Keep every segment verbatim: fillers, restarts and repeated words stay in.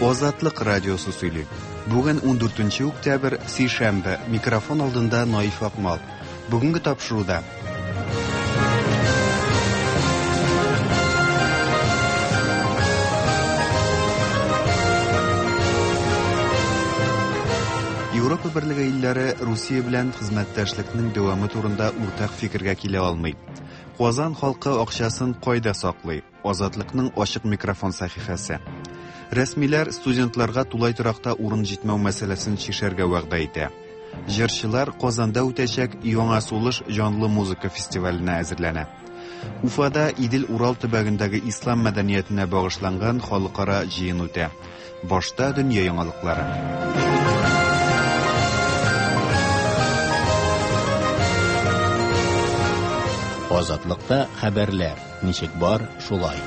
Азатлык радиосы сөйли. Бүген ундүртенче октябрь, сишәмбе, микрофон алдында Наиф Акмал. Бүгенге тапшыруда Европа Берлеге илләре Русия белән хезмәттәшлекнең дәвамы турында уртак фикергә килә алмый. Казан халкы акчасын кайда саклый? Азатлыкның ачык микрофон сәхифәсе. Рәсмиләр студентларга тулай торакта урын җитмәү мәсьәләсен чишәргә вәгъдә итә. Җырчылар Казанда үтәчәк Яңа сулыш җанлы музыка фестиваленә әзерләнә. Уфада Идел-Урал төбәгендәге ислам мәдәниятенә багышланган халыкара җыен үтә. Башта дөнья яңалыклары. Азатлыкта хәбәрләр ничек бар, шулай.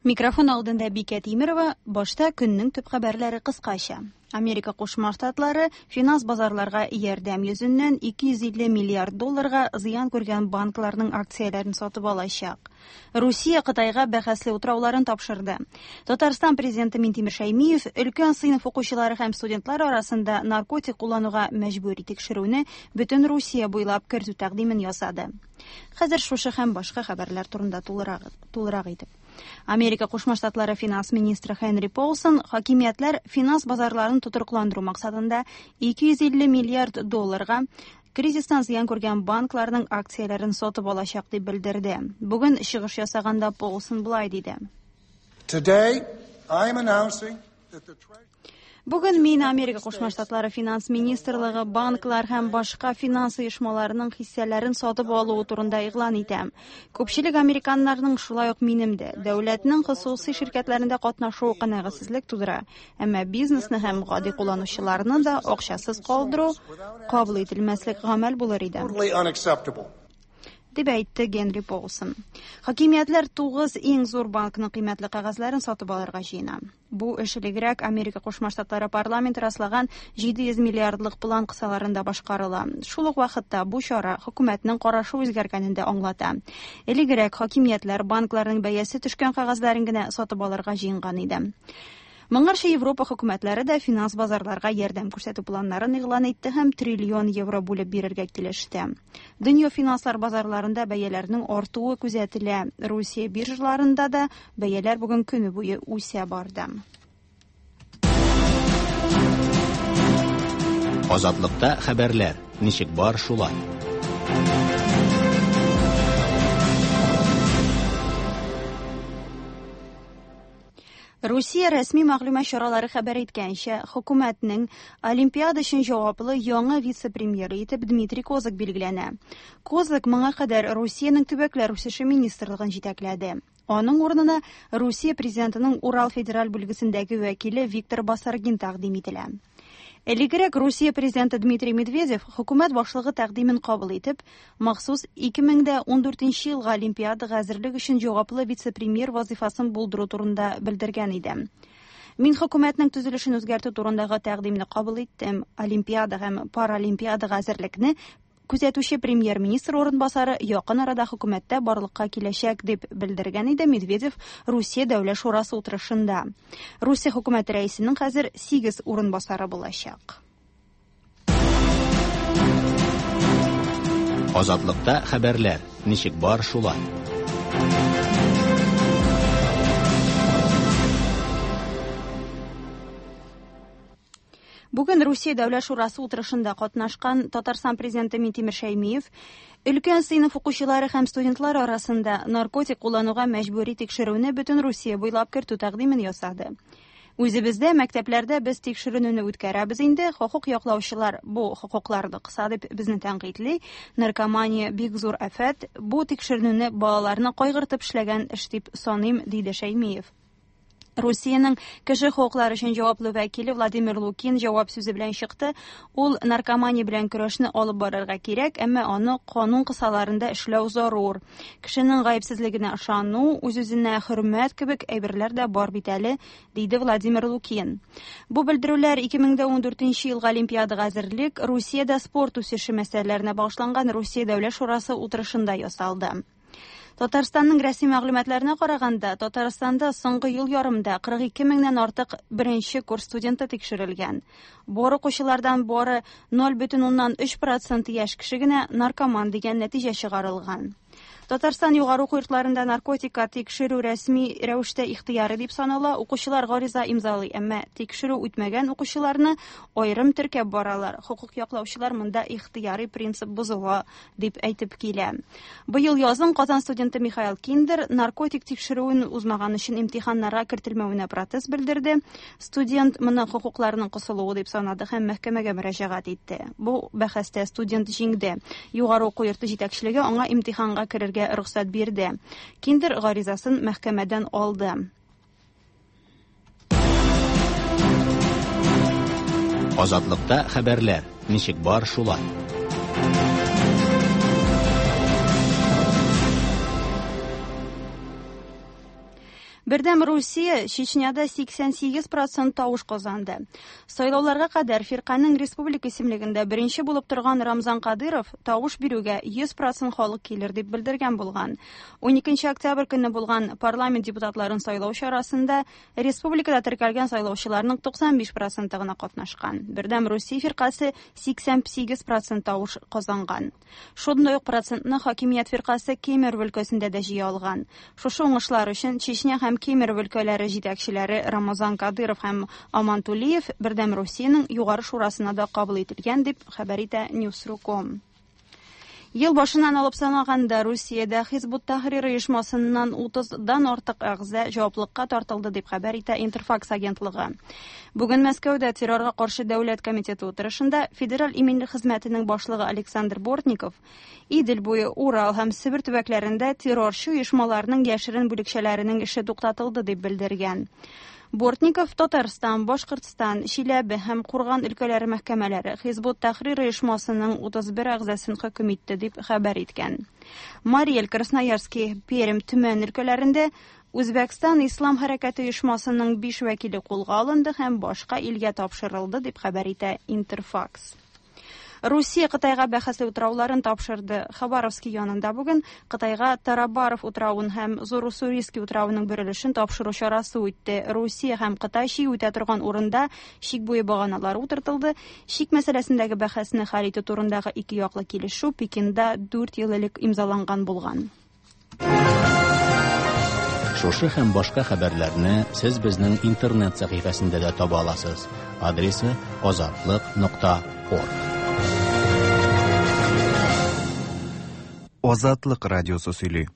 Микрофон алдында Бикә Тимерова, башта көннең төп хәбәрләре кыскача. Америка Кушма Штатлары финанс базарларга ярдәм йөзеннән ике йөз илле миллиард долларга зыян күргән банкларның акцияләрен сатып алачак. Русия Кытайга бәхәсле утрауларын тапшырды. Татарстан президенты Минтимер Шәймиев өлкән сыйныф укучылары һәм студентлар арасында наркотик куллануга мәҗбүри тикшерүне бөтен Русия буйлап кертү тәкъдимен ясады. Хәзер шушы һәм башка хәбәрләр турында тулырак, тулырак итеп. Америка Кушма Штатлары финанс министры Хенри Полсон хакимиятләр финанс базарларын тотрыкландыру максатында ике йөз илле миллиард долларга кризистан зыян күргән банкларның акцияләрен сатып алачак дип белдерде. Бүген чыгыш ясаганда Полсон былай диде. Today, I am announcing that the Бүген мин Америка Кушма Штатлары финанс министрлыгы банклар һәм башка финанс оешмаларының хиссәләрен сатып алуы турында игълан итәм. Күпчелек американнарның, шулай ук минем дә, дәүләтнең хосусый ширкәтләрендә катнашуы канәгатьсезлек тудыра. Әмма бизнесны һәм гади кулланучыларны да акчасыз калдыру кабул ителмәслек гамәл булыр иде. Totally unacceptable. Дип әйтте Генри Полсон. Хакимиятләр тугыз иң зур банкның кыйммәтле кәгазьләрен сатып алырга җыена. Бу эш элегрәк Америка Кушма Штатлары парламенты раслаган җиде йөз миллиардлык план кысаларында башкарыла. Шул ук вакытта бу чара хөкүмәтнең карашы үзгәргәнен дә аңлата. Элегрәк хакимиятләр банкларның бәясе төшкән кәгазьләрен генә сатып алырга җыенган иде. Моңарчы Европа хөкүмәтләре дә финанс базарларга ярдәм күрсәтү планнарын игълан итте һәм триллион евро бүлеп бирергә килеште. Дөнья финанслар базарларында бәяләрнең артуы күзәтелә. Русия биржаларында да бәяләр бүген көне буе үсә барды. Азатлыкта хәбәрләр ничек бар, шулай. Русия рәсми мәгълүмат чаралары хәбәр иткәнчә, хөкүмәтнең Олимпиада өчен җаваплы яңа вице-премьеры итеп Дмитрий Козак билгеләнә. Козак моңа кадәр Русиянең төбәкләр үсеше министрлыгын җитәкләде. Аның урынына Русия президентының Урал федераль бүлгесендәге вәкиле Виктор Басаргин тәкъдим ителә. Элегрәк Русия президенты Дмитрий Медведев хөкүмәт башлыгы тәкъдимен кабул итеп, махсус ике мең дә ундүртенче елга Олимпиадага әзерлек өчен җаваплы вице-премьер вазифасын булдыру турында белдергән иде. Мин хөкүмәтнең төзелешен үзгәртү турындагы тәкъдимне кабул иттем. Олимпиада һәм Паралимпиадага әзерлекне күзәтүче премьер-министр урынбасары якын арада хөкүмәттә барлыкка киләчәк дип белдергән иде Медведев Русия Дәүләт Шурасы утырышында. Русия хөкүмәте рәисенең хәзер сигез урынбасары булачак. Азатлыкта хәбәрләр ничек бар, шулай. Бүген Русия Дәүләт Шурасы утырышында катнашкан Татарстан президенты Минтимер Шәймиев өлкән сыйныф укучылары һәм студентлар арасында наркотик куллануга мәҗбүри тикшерүне бөтен Русия буйлап кертү тәкъдимен ясады. Үзебездә мәктәпләрдә без тикшеренүне үткәрәбез инде, хокук яклаучылар бу хокукларны кыса дип безне тәнкыйтьли. Наркомания бик зур афәт, бу тикшеренүне балаларны кайгыртып эшләгән эш дип саныйм, диде Шәймиев. Русиянең кеше хокуклары өчен җаваплы вәкиле Владимир Лукин җавап сүзе белән чыкты. Ул наркомания белән көрәшне алып барырга кирәк, әмма аны канун кысаларында эшләү зарур. Кешенең гаепсезлегенә ышану, үз-үзенә хөрмәт кебек әйберләр дә бар бит әле, диде Владимир Лукин. Бу белдерүләр ике мең дә ундүртенче елгы Олимпиадага әзерлек, Русиядә спорт үсеше мәсьәләләренә багышланган Русия Дәүләт Шурасы утырышында ясалды. Татарстанның рәсми мәгълүматларына караганда, Татарстанда соңгы ел ярымда кырык ике меңнән артык беренче курс студенты тикшерелгән. Бар укучылардан бары ноль бөтен уннан өч процент яшь кеше генә наркоман дигән нәтиҗә чыгарылган. Татарстан югары уку йортларында наркотика тикшерү рәсми рәвештә ихтыяры дип санала. Укучылар гариза имзалый, әмма тикшерү үтмәгән укучыларны аерым теркәп баралар. Хокук яклаучылар монда ихтыярый принцип бозыла дип әйтеп килә. Быел язын Казан студенты Михаил Киндер наркотик тикшерүен узмаган өчен имтиханнарга кертелмәвенә протест белдерде. Студент моны хокукларының кысылуы дип санады һәм мәхкәмәгә мөрәҗәгать итте. Бу бәхәстә студент җиңде. Югары уку йорты җитәкчелеге аңа имтиханга керергә рөхсәт бирде. Киндер гаризасын мәхкәмәдән алды. Азатлыкта хәбәрләр ничек бар шулай. Бердәм Русия Чечняда сиксән сигез процент тавыш казанды. Сайлауларга кадәр фирканең республика исемлегендә беренче булып торган Рамзан Кадыров тавыш бирүгә йөз процент халык килер дип белдергән булган. Уникенче октябрь көнне булган парламент депутатларын сайлау чарасында республикада теркәлгән сайлаучыларның туксан биш проценты гына катнашкан. Бердәм Русия фиркасе сиксән сигез процент тавыш казанган. Шундый ук процентны хакимият фиркасе Кемерово өлкәсендә дә җыя алган. Шушы уңышлар өчен Чечня һәм Кемерово өлкәләре җитәкчеләре Рамазан Кадыров һәм Аман Тулиев Бердәм Русиянең югары шурасына да кабул ителгән дип хәбәр итә News точка ком. Ел башыннан алып санаганда Русиядә Хизб ут-Тахрир оешмасыннан утыздан артык әгъза җаваплылыкка тартылды дип хәбәр итә Интерфакс агентлыгы. Бүген Мәскәүдә террорга каршы дәүләт комитеты утырышында Федераль иминлек хезмәтенең башлыгы Александр Бортников Идел буе, Урал һәм Себер төбәкләрендә террорчы оешмаларның яшерен бүлекчәләренең эше туктатылды дип белдергән. Бортников Татарстан, Башкортстан, Чиләбе һәм Курган өлкәләре мәхкәмәләре Хизб ут-Тахрир оешмасының утыз бер әгъзасын хөкем итте дип хәбәр иткән. Мариэль, Красноярский, Пермь, Төмән өлкәләрендә Үзбәкстан Ислам хәрәкәте оешмасының биш вәкиле кулга алынды һәм башка илгә тапшырылды дип хәбәр итә Интерфакс. Русия Кытайга бәхәсле утрауларын тапшырды. Хабаровский янында бүген Кытайга Тарабаров утравын һәм Зур-Уссурийский утравының бер өлешен тапшыру чарасы үтте. Русия һәм Кытай чик үтә торган урында чик буе баганалары утыртылды. Чик мәсьәләсендәге бәхәсне хәл итү турындагы ике яклы килешү Пекинда дүрт ел элек имзаланган булган. Шушы һәм башка хәбәрләрне сез безнең интернет сәхифәсендә дә таба аласыз. Адресы азатлык нокта орг. Азатлык радиосы сөйли.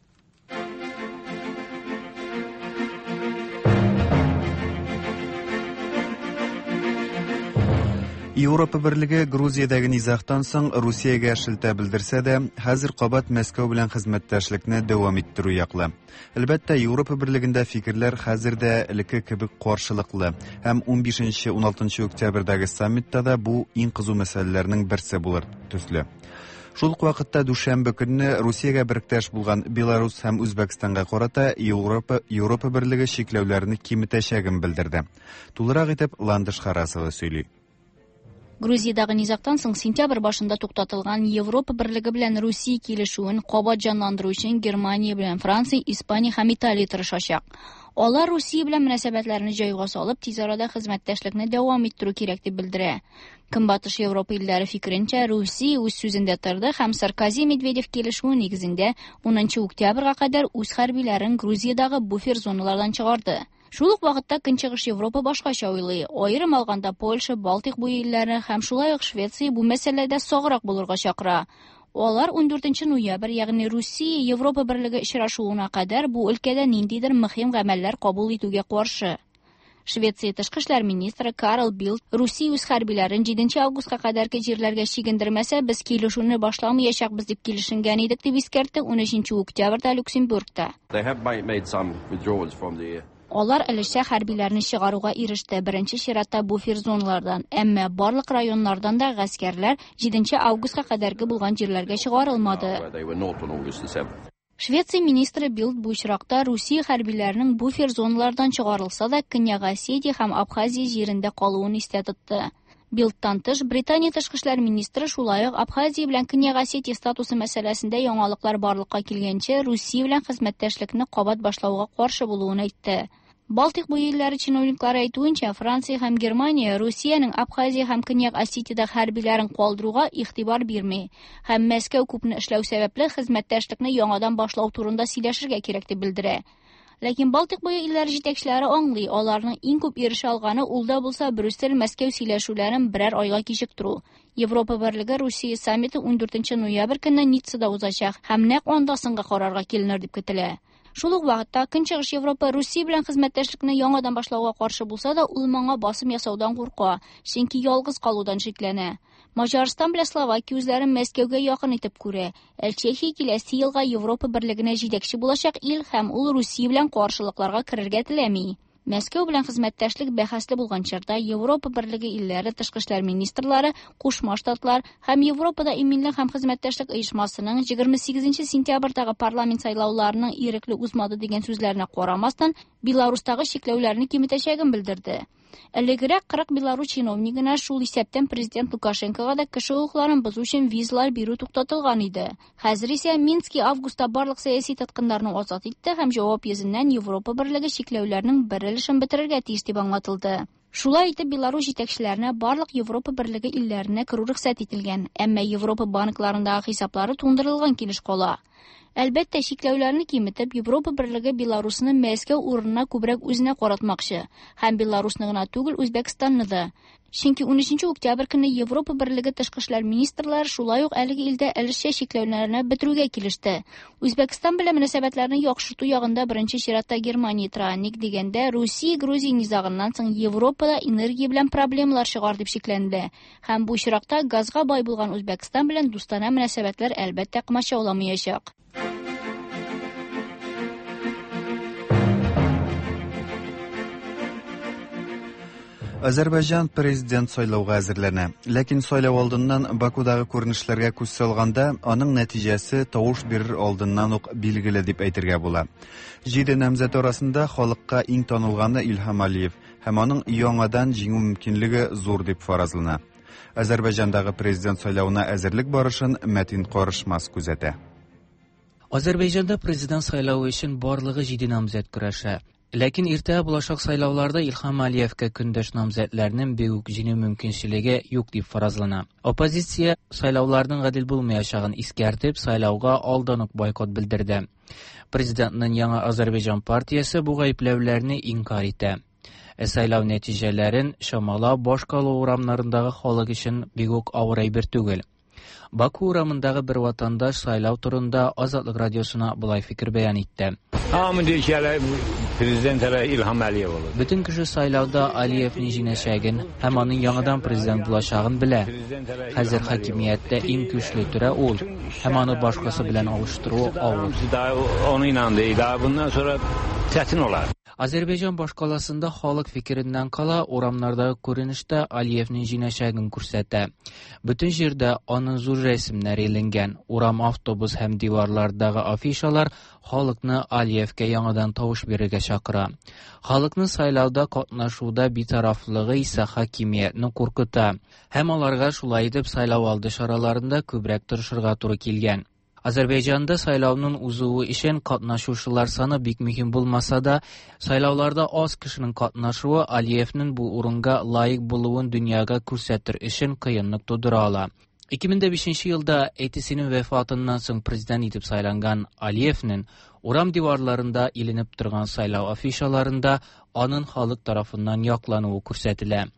Европа Берлеге Грузиядәге низагтан соң Русиягә шелтә белдерсә дә, хәзер кабат Мәскәү белән хезмәттәшлекне дәвам иттерү яклы. Әлбәттә, Европа Берлегендә фикерләр хәзер дә элекке кебек каршылыклы һәм унбишенче уналтынчы октябрьдәге саммитта да бу иң кызу мәсьәләләрнең берсе булыр төсле. Шул ук вакытта дүшәмбе көнне Русиягә беректәш булган Беларусь һәм Үзбәкстанга карата Европа, Европа Берлеге чикләүләрне киметәчәген белдерде. Тулырак итеп Ландыш Харасова сөйли. Грузиядагы низагтан соң сентябрь башында туктатылган Европа Берлеге белән Русия килешүен кабат җанландыру өчен Германия белән Франция, Испания һәм Италия тырышачак. Алар Русия белән мөнәсәбәтләрне җайга салып, тиз арада хезмәттәшлекне дәвам иттерү кирәк дип белдерә. Көнбатыш Европа илләре фикеренчә, Русия үз сүзендә торды һәм Саркози Медведев килешүе нигезендә унынчы октябрьгә кадәр үз хәрбиләрен Грузиядагы буфер зоналардан чыгарды. Шул ук вакытта Көнчыгыш Европа башкача уйлый. Аерым алганда Польша, Балтыйк буе илләре һәм шулай ук Швеция бу мәсьәләдә саграк булырга чакыра. Алар ундүртенче ноябрь, ягъни Русия Европа Берлеге очрашуына кадәр бу өлкәдә ниндидер мөһим гамәлләр кабул итүгә каршы. Швеция тышкы эшләр министры Карл Билд Русия үз хәрбиләрен җиденче августка кадәрге җирләргә чигендермәсә, без килешүне башламаячакбыз дип килешенгән идек дип искәртте унөченче октябрьдә Люксембургта. They have made some withdrawals from the Алар өлешчә хәрбиләрне чыгаруга иреште, беренче чиратта буфер зоналардан, әмма барлык районнардан да гаскәрләр җиденче августка кадәрге булган җирләргә чыгарылмады. Швеция министры Билд бу очракта Русия хәрбиләренең буфер зоналардан чыгарылса да, Көньяк Осетия һәм Абхазия җирендә калуын истә тотты. Бильдтан тыш, Британия тышкы эшләр министры шулай ук Абхазия белән Көньяк Осетия статусы мәсьәләсендә яңалыклар барлыкка килгәнче Русия белән хезмәттәшлекне кабат башлауга каршы булуын әйтте. Балтыйк буе илләре чиновниклары әйтүенчә, Франция һәм Германия Русиянең Абхазия һәм Көньяк Осетиядә хәрбиләрен калдыруга игътибар бирми һәм Мәскәү күпне эшләү сәбәпле хезмәттәшлекне яңадан башлау турында сөйләшергә кирәк дип белдерә. Ләкин Балтыйк буе илләре җитәкчеләре аңлый, аларның иң күп ирешә алганы ул да булса Брюссель-Мәскәү сөйләшүләрен берәр айга кичектерү. Европа Берлеге Русия саммиты ундүртенче ноябрь көнне Ниццада узачак һәм нәкъ анда соңгы карарга киленер дип көтелә. Шул ук вакытта Көнчыгыш Европа Русия белән хезмәттәшлекне яңадан башлауга каршы булса да, ул моңа басым ясаудан курка, чөнки ялгыз калудан шикләнә. Маҗарстан белән Словакия үзләрен Мәскәүгә якын итеп күрә. Ә Чехия киләсе елга Европа Берлегенә җитәкче булачак ил һәм ул Русия белән каршылыкларга керергә теләми. Мәскәү белән хезмәттәшлек бәхәсле булган чорда Европа Берлеге илләре тышкы эшләр министрлары, Кушма Штатлар һәм Европада иминлек һәм хезмәттәшлек оешмасының егерме сигезенче сентябрьдәге парламент сайлауларының ирекле узмады дигән сүзләренә карамастан, Беларустагы чикләүләрне киметәчәген белдерде. Элегрәк кырык белорус чиновнигына, шул исәптән президент Лукашенкога да кеше хокукларын бозу өчен визалар бирү туктатылган иде. Хәзер исә Мински августта барлык сәяси тоткыннарны азат итте һәм җавап йөзеннән Европа Берлеге чикләүләрнең бер өлешен бетерергә тиеш дип аңлатылды. Шулай итеп, Беларус җитәкчеләренә барлык Европа Берлеге илләренә керү рөхсәт ителгән, әмма Европа банкларындагы хисаплары туңдырылган килеш кала. Әлбәттә, чикләүләрне киметеп, Европа Берлеге Беларусны Мәскәү урынына күбрәк үзенә каратмакчы һәм Беларусны гына түгел, Үзбәкстанны да. Чөнки унөченче октябрь көнне Европа Берлеге тышкы эшләр министрлары шулай ук әлеге илдә өлешчә чикләүләрне бетерүгә килеште. Үзбәкстан белән мөнәсәбәтләрне яхшырту ягында беренче чиратта Германия тора. Ник дигәндә, Русия Грузия низагыннан соң Европада энергия белән проблемалар чыгар дип шикләнде. Һәм бу очракта газга бай булган Үзбәкстан белән дустанә мөнәсәбәтләр әлбәттә комачауламаячак. Азәрбайҗан президент сайлауга әзерләнә. Ләкин сайлау алдыннан Бакудагы күренешләргә күз салганда, аның нәтиҗәсе тавыш бирер алдыннан ук билгеле дип әйтергә була. Җиде намзәт арасында халыкка иң танылганы Илһам Алиев һәм аның яңадан җиңү мөмкинлеге зур дип фаразлана. Азәрбайҗандагы президент сайлавына әзерлек барышын Мәтин Карышмас күзәтә. Азәрбайҗанда президент сайлавы өчен барлыгы җиде намзәт көрәшә. Ләкин иртә булачак сайлауларда Илһам Алиевкә көндәш намзәтләрнең бик үк җиңү мөмкинчелеге юк дип фаразлана. Оппозиция сайлауларның гадел булмаячагын искәртеп, сайлауга алдан ук бойкот белдерде. Президентның яңа Азәрбайҗан партиясе бу гаепләүләрне инкар итә. Ә сайлау нәтиҗәләрен чамалау башкала урамнарындагы халык өчен бик үк авыр әйбер түгел. Баку урамындагы бер ватандаш сайлау турында Азатлык радиосына болай фикер бәян итте. Hamı deyir ki, hələ prezident hələ İlham Əliyev olur. Бүтән кеше сайлауда Алиевның җиңәчәген һәм аның яңадан президент булачагын белә. Хәзер хакимияттә иң көчле түрә ул, һәм аны башкасы белән алыштыру авыр. Onu inandı. Daha bundan sonra çətin olar. Азәрбайҗан башкаласында халык фикереннән кала урамнардагы күренештә Алиевның җиңәчәген күрсәтә. Бүтән җирдә аның зур рәсемнәре эленгән. Урам, автобус һәм диварлардагы афишалар халыкны Алиевкә яңадан тавыш бирергә чакыра. Халыкны сайлауда катнашуда битарафлыгы исә хакимиятне куркыта. Һәм аларга шулай итеп сайлау алды чараларында күбрәк тырышырга туры килгән. Азәрбайҗанда сайлауның узуы өчен катнашучылар саны бик мөһим булмаса да, сайлауларда аз кешенең катнашуы Алиевның бу урынга лаек булуын дөньяга күрсәтер өчен кыенлык тудыра ала. ике мең дә бишенче елда әтисенең вафатыннан соң президент итеп сайланган Алиевның урам диварларында иленеп торган сайлау афишаларында аның халык тарафыннан яклануы күрсәтелә.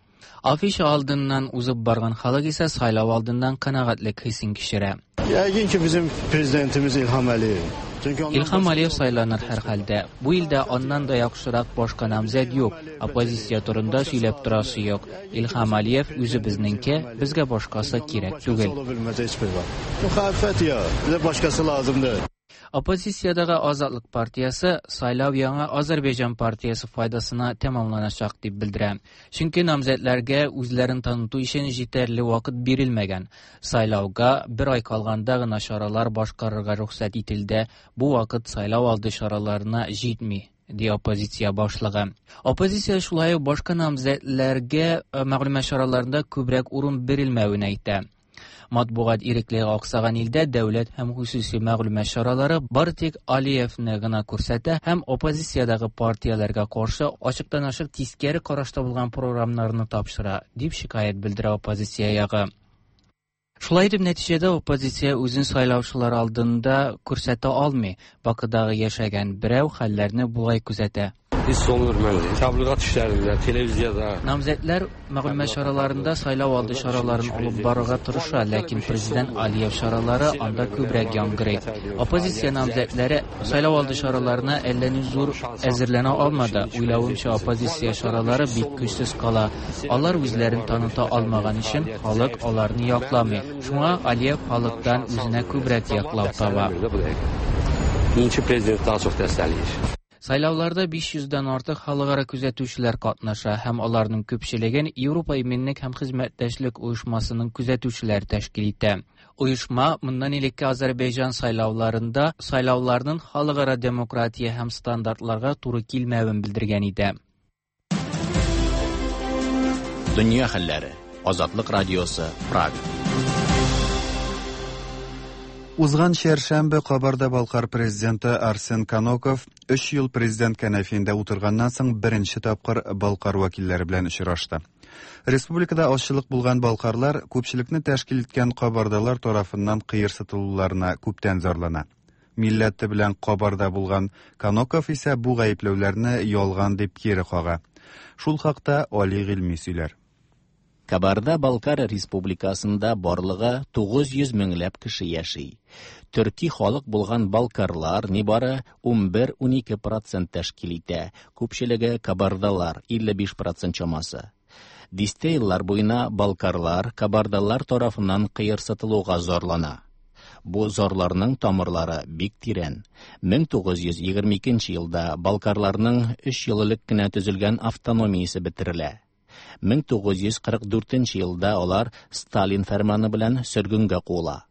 Афиша алдыннан узып барган халык исә сайлау алдыннан канәгатьлек хисен кичерә. Yəqin ki, bizim prezidentimiz İlham Əliyev. Çünki ondan İlham başqa Əliyev saylanır hər halda. Bu ildə ondan da yaxşıraq başqa namizəd yox. Oppozisiya turunda сөйләп торасы yox. İlham Əliyev үзе безнеңке, безгә башкасы кирәк түгел. Ola bilməz heç bir vaxt. Müxalifət ya, bizə başqası lazımdır. Оппозициядагы Азатлык партиясе сайлау яңа Азәрбайҗан партиясе файдасына тәмамланачак дип белдерә. Чөнки намзәтләргә үзләрен таныту өчен җитәрле вакыт бирелмәгән. Сайлауга бер ай калганда гына чаралар башкарырга рөхсәт ителде. Бу вакыт сайлау алды чараларына җитми. ди оппозиция башлыгы. Оппозиция шулай ук башка намзәтләргә мәгълүмат чараларында күбрәк урын бирелмәвен әйтә. Матбугат иреклеге аксаган илдә дәүләт һәм хосуси мәгълүмат чаралары бары тик Алиевны гына күрсәтә һәм оппозициядәге партияләргә каршы ачыктан-ачык тискәре карашта булган програмнарны тапшыра, дип шикаять белдерә оппозиция ягы. Шулай итеп, нәтиҗәдә оппозиция үзен сайлаучылар алдында күрсәтә алмый. Бакыдагы яшәгән берәү хәлләрне болай күзәтә. Hiss olunur məndə. Təbliğat işlərində, televiziyada. Намзәтләр мәгълүмат чараларында сайлау алды чараларын алып барырга тырыша, ләкин президент Алиев чаралары анда күбрәк яңгырый. Оппозиция намзәтләре сайлау алды чараларына әллә ни зур әзерләнә алмады. Уйлавымча, оппозиция чаралары бик көчсез кала. Алар үзләрен таныта алмаган өчен халык аларны якламый. Шуңа Алиев халыктан үзенә күбрәк яклау таба. İkinci prezident daha çox dəstəkləyir. Сайлауларда биш йөздән артык халыкара күзәтүчеләр катнаша һәм аларның күпчелеген Европа иминлек һәм хезмәттәшлек оешмасының күзәтүчеләре тәшкил итә. Оешма моннан элекке Азәрбайҗан сайлауларында сайлауларның халыкара демократия һәм стандартларга туры килмәвен белдергән иде. Дөнья хәлләре. Азатлык радиосы, Прага. Узган чәршәмбе Кабарда-Балкар президенты Арсен Каноков өч ел президент кәнәфиендә утырганнан соң беренче тапкыр Балкар вәкилләре белән очрашты. Республикада азчылык булган балкарлар күпчелекне тәшкил иткән кабардалар тарафыннан кыерсытылуларына күптән зарлана. Милләте белән Кабарда булган Каноков исә бу гаепләүләрне ялган дип кире кага. Шул хакта Али Гыйльми сөйләр. Кабарда-Балкар республикасында барлыгы тугыз йөз меңләп кеше яши. Төрки халык булган балкарлар нибары унбер-унике процент тәшкил итә, күпчелеге кабардалар илле биш процент чамасы. Дистә еллар буена балкарлар кабардалар тарафыннан кыерсытылуга зарлана. Бу зарларның тамырлары бик тирән. мең тугыз йөз егерме икенче елда балкарларның өч ел элек кенә төзелгән автономиясе бетерелә. мең тугыз йөз кырык дүртенче елда алар Сталин фәрманы белән сөргенгә куыла.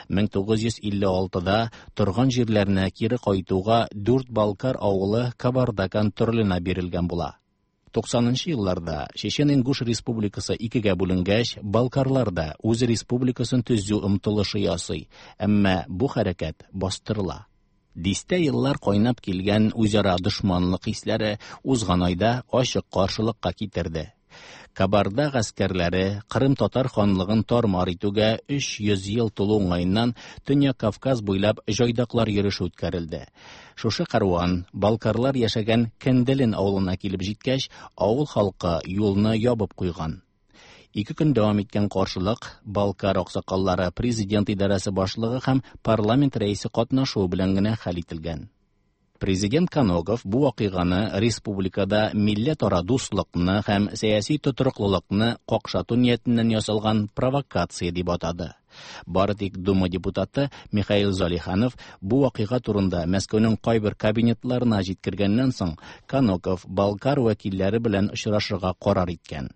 мең тугыз йөз илле алтыда торган җирләренә кире кайтуга дүрт балкар авылы Кабарда контроленә бирелгән була. Туксанынчы елларда Чечен-Ингуш республикасы икегә бүленгәч, балкарлар да үз республикасын төзү омтылышы ясый, әмма бу хәрәкәт бастырыла. Дистә еллар кайнап килгән үзара дошманлык хисләре узган айда ачык каршылыкка китерде. Кабарда гаскәрләре Кырым татар ханлыгын тар-мар итүгә өч йөз ел тулу уңаеннан Төньяк Кавказ буйлап җайдаклар йөреше үткәрелде. Шушы каруан балкарлар яшәгән Кенделен авылына килеп җиткәч, авыл халкы юлны ябып куйган. Ике көн дәвам иткән каршылык Балкар аксакаллары, президент идарәсе башлыгы һәм парламент рәисе катнашуы белән генә хәл ителгән. Президент Каноков бу вакыйганы республикада милләтара дуслыкны һәм сәяси тотрыклылыкны какшату ниятеннән ясалган провокация дип атады. Бары тик Дума депутаты Михаил Залиханов бу вакыйга турында Мәскәүнең кайбер кабинетларына җиткергәннән соң Каноков Балкар вәкилләре белән очрашырга карар иткән.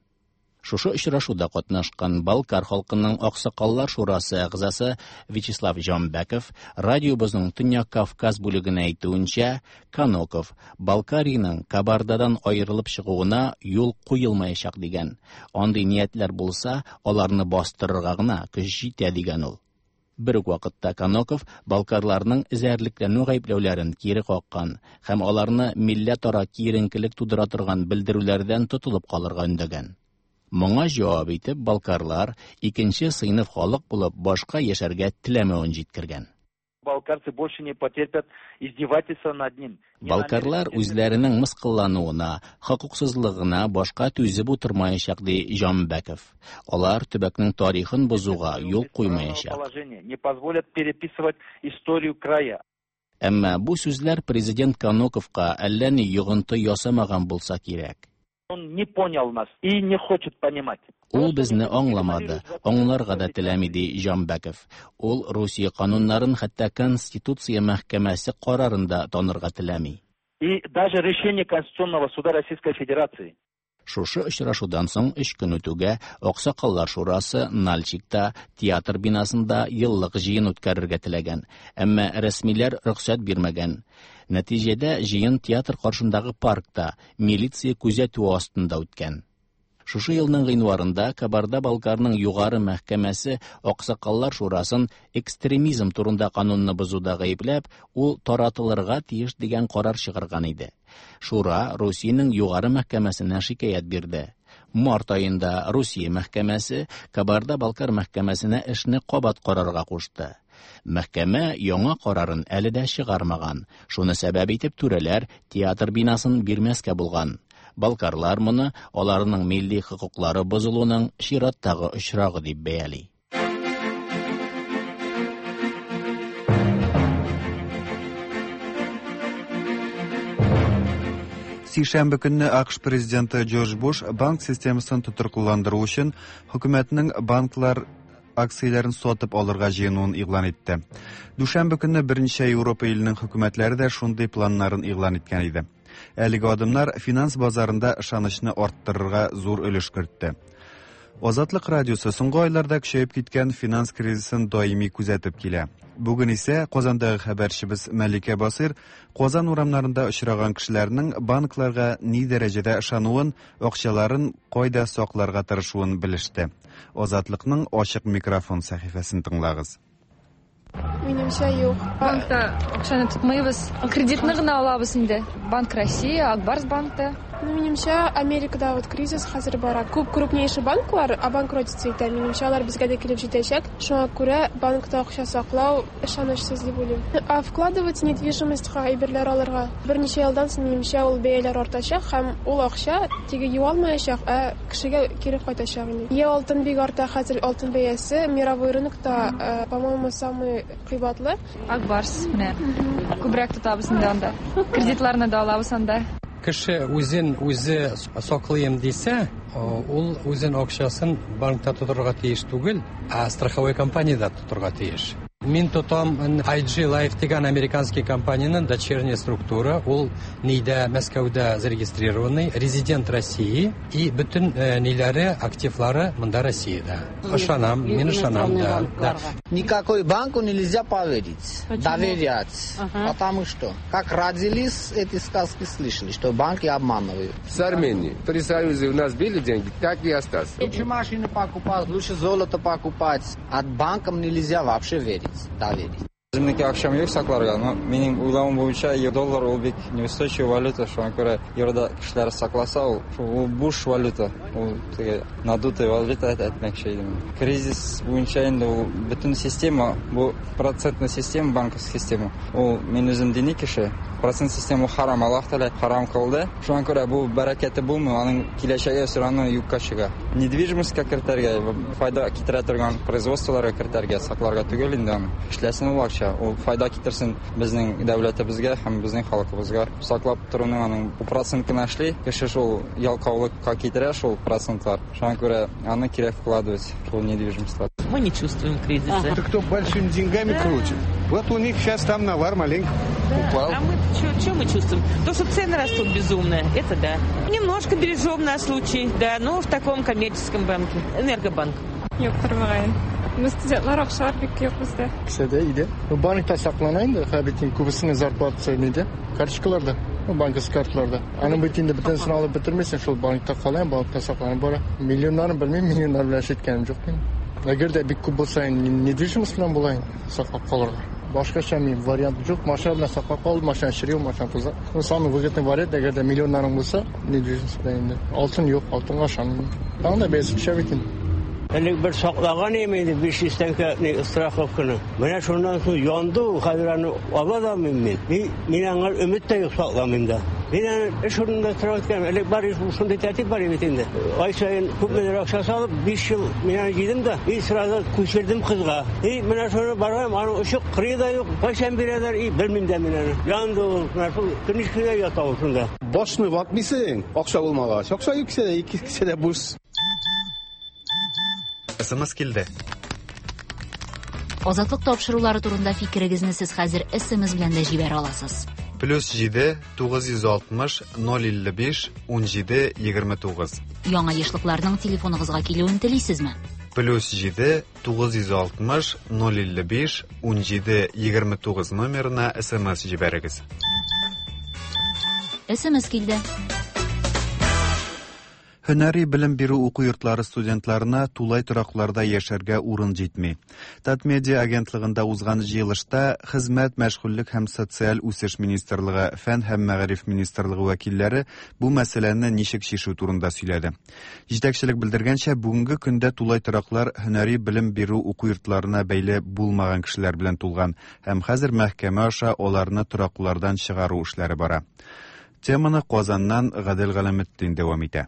Шушы очрашуда катнашкан Балкар халкының Аксакаллар шурасы әгъзасы Вячеслав Җанбәков радиобызның Төньяк Кавказ бүлегенә әйтүенчә, Каноков Балкариның Кабардадан аерылып чыгуына юл куелмаячак дигән. Андый ниятләр булса, аларны бастырырга гына көч җитә дигән ул. Бер үк вакытта Каноков балкарларның эзәрлекләнү гаепләүләрен кире каккан һәм аларны милләтара киеренкелек тудыра торган белдерүләрдән тотылып калырга өндәгән. Моңа җавап итеп балкарлар икенче сыйныф халык булып башка яшәргә теләмәвен җиткергән. Балкарцы больше не потерпят издевательства над ним. Балкарлар үзләренең мыскыллануына, хокуксызлыгына башка түзеп утырмаячак, ди Җанбәков. Алар төбәкнең тарихын бозуга юл куймаячак. Положение не позволят переписывать историю края. Әмма бу сүзләр президент Каноковка әллә ни йогынты ясамаган булса кирәк. Он не понял нас и не хочет понимать. Ул безне аңламады, аңларга да теләми, ди Җанбәков. Ул Русия кануннарын хәтта Конституция мәхкәмәсе карарын да танырга теләми. И даже решение Конституционного суда Российской Федерации. Шушы очрашудан соң өч көн үтүгә Аксакаллар шурасы Нальчикта театр бинасында еллык җыен үткәрергә теләгән, әмма рәсмиләр рөхсәт бирмәгән. Нәтиҗәдә җыен театр каршындагы паркта милиция күзәтүе астында үткән. Шушы елның гыйнварында Кабарда-Балкарның югары мәхкәмәсе Аксакаллар шурасын экстремизм турында канунны бозуда гаепләп, ул таратылырга тиеш дигән карар чыгарган иде. Шура Русиянең югары мәхкәмәсенә шикаять бирде. Март аенда Русия мәхкәмәсе Кабарда-Балкар мәхкәмәсенә эшне кабат карарга кушты. Мәхкәмә яңа карарын әле дә чыгармаган. Шуны сәбәп итеп түрәләр театр бинасын бирмәскә булган. Балкарлар моны аларның милли хокуклары бозылуның чираттагы очрагы дип бәяли. Сишәмбе көнне А Ҡ Ш президенты Джордж Буш банк системасын тотрыклыландыру өчен хөкүмәтнең банклар акцияләрен сатып алырга җыенуын игълан итте. Дүшәмбе көнне берничә Европа иленең хөкүмәтләре дә шундый планнарын игълан иткән иде. Әлеге адымнар финанс базарында ышанычны арттырырга зур өлеш кертте. Азатлык радиосы соңгы айларда көчәеп киткән финанс кризисын даими күзәтеп килә. Бүген исә Казандагы хәбәрчебез Мәликә Басыр Казан урамнарында очраган кешеләрнең банкларга ни дәрәҗәдә ышануын, акчаларын кайда сакларга тырышуын белеште. Азатлыкның ачык микрофон сәхифәсен тыңлагыз. Минемчә, юк. Банкта акчаны тотмыйбыз. Кредитны гына алабыз инде. Банк России, Ак Барс банкта. Ну, минемчә, Америкада вот кризис хәзер бара. Күп крупнейший банклар обанкротиться итә. Минемчә, алар безгә дә килеп җитәчәк. Шуңа күрә банкта акча саклау ышанычсыз дип уйлыйм. А вкладывать недвижимостька, әйберләр алырга берничә елдан соң, минемчә, ул бәяләр артачак һәм ул акча теге югалмаячак, ә кешегә кире кайтачак инде. Е алтын бик арта хәзер, алтын бәясе мировой рынокта, э, по-моему, самый кыйбатлы. Ак Барс менә. Күбрәк тотабыз инде анда. Кредитларны да алабыз анда. Кеше үзен үзе саклыйм дисә, ул үзен акчасын банкта тотарга тиеш түгел, ә страховой компаниядә тотарга тиеш. Мин тотам I G Life дигән американский компанияның дочерняя структура, ул нидә, Мәскәүдә зарегистрированный, резидент России, и бөтен э, ниләре, активлары монда, Россиядә. Ышанам, мин ышанам, да, да. Никакой банку нельзя поверить, доверять, ага. Потому что, как родились, эти сказки слышали, что банки обманывают. С Армении. При Союзе у нас были деньги, так и остались. Лучше машины покупать, лучше золото покупать. От банкам нельзя вообще верить, доверить. Үземнеке акчам юк сакларга, но минем уйлавым буенча, доллар ул бик неустойчивый валюта, шуңа күрә еврода кешеләр сакласа, ул ул буш валюта, ул теге надутый валюта әйтмәкче идем. Кризис буенча инде ул бөтен система, бу процентный система, банковский система. Ул, мин үзем дини кеше, процент система харам, Аллаһ Тәгалә харам кылды. Шуңа күрә бу бәрәкәте булмый, аның киләчәге все равно юкка чыга. Недвижимостька кертергә, файда китерә торган производстволарга кертергә, сакларга түгел инде аны. Эшләсен ул акча, ул файда китерсен безнең дәүләтебезгә һәм безнең халкыбызга. Саклап торуның аның процент кына эшли, кеше шул ялкаулыкка китерә шул процентлар. Шуңа күрә аны кирәк вкладывать шул недвижимостька. Мы не чувствуем кризиса. Это кто большими деньгами да. крутит. Вот у них сейчас там навар маленько да. упал. А мы что мы чувствуем? То, что цены растут безумно, это да. Немножко бережем на случай, да, но в таком коммерческом банке. Энергобанк. Юктыр, мөгаен. Студентлар акчалар бик юк бездә. Кесәдә иде. Банкта саклана инде, бит күбесенең зарплатасы нидә? Карточкаларда, банковский карталарда. Аның бит инде бөтенесен алып бетермисең, шул банкта кала, банкта сакланып бара. Миллионнарын белмим, миллионнар белән эш иткәнем юк минем. Әгәр дә бик күп булса, недвижимость белән була инде саклап калырга. Башкача мин вариант юк, машина белән саклап кал, машина чери, машина туза. Ну, самый выгодный вариант, әгәр дә миллионнарың булса, недвижимость белән инде. Алтын юк, алтынга ышанмыйм. Тагын да бәясе төшә бит инде. Элек бер саклаган идем инде биш йөз тәңкә страховканы. Менә шуннан соң янды ул, хәзер аны ала да алмыйм мин. Мин, мин аңа өмет тә юк, сакламыйм да. Мин аны эш урынында торып үткән, элек бар шундый тәртип бар бит инде. Ай саен күпмедер акча салып, биш ел мин аны җыйдым да, и сразу күчердем кызга. И менә шуны барам, аның очы кырые да юк, кайчан бирәләр, и белмим дә мин аны. Янды ул, менә шул книжкада ята ул шунда. Башны ватмыйсың, акча булмагач. Акча юк кесәдә, ике кесәдә буш. С М С килде. Азатлык тапшырулары турында фикерегезне сез хәзер С М С белән дә җибәрә аласыз. Плюс җиде тугыз йөз алтмыш ноль илле биш унҗиде егерме тугыз. Яңа ешлыкларның телефоныгызга килүен телисезме? Плюс җиде тугыз йөз алтмыш ноль илле биш унҗиде егерме тугыз номерына С М С җибәрегез. С М С килде. Һөнәри белем бирү уку йортлары студентларына тулай торакларда яшәргә урын җитми. Татмедиа агентлыгында узган җыелышта Хезмәт, мәшгульлек һәм социаль үсеш министрлыгы, Фән һәм мәгариф министрлыгы вәкилләре бу мәсьәләне ничек чишү турында сөйләде. Җитәкчелек белдергәнчә, бүгенге көндә тулай тораклар һөнәри белем бирү уку йортларына бәйле булмаган кешеләр белән тулган һәм хәзер мәхкәмә аша аларны тораклардан чыгару эшләре бара. Теманы Казаннан Гадел Галәметдин дәвам итә.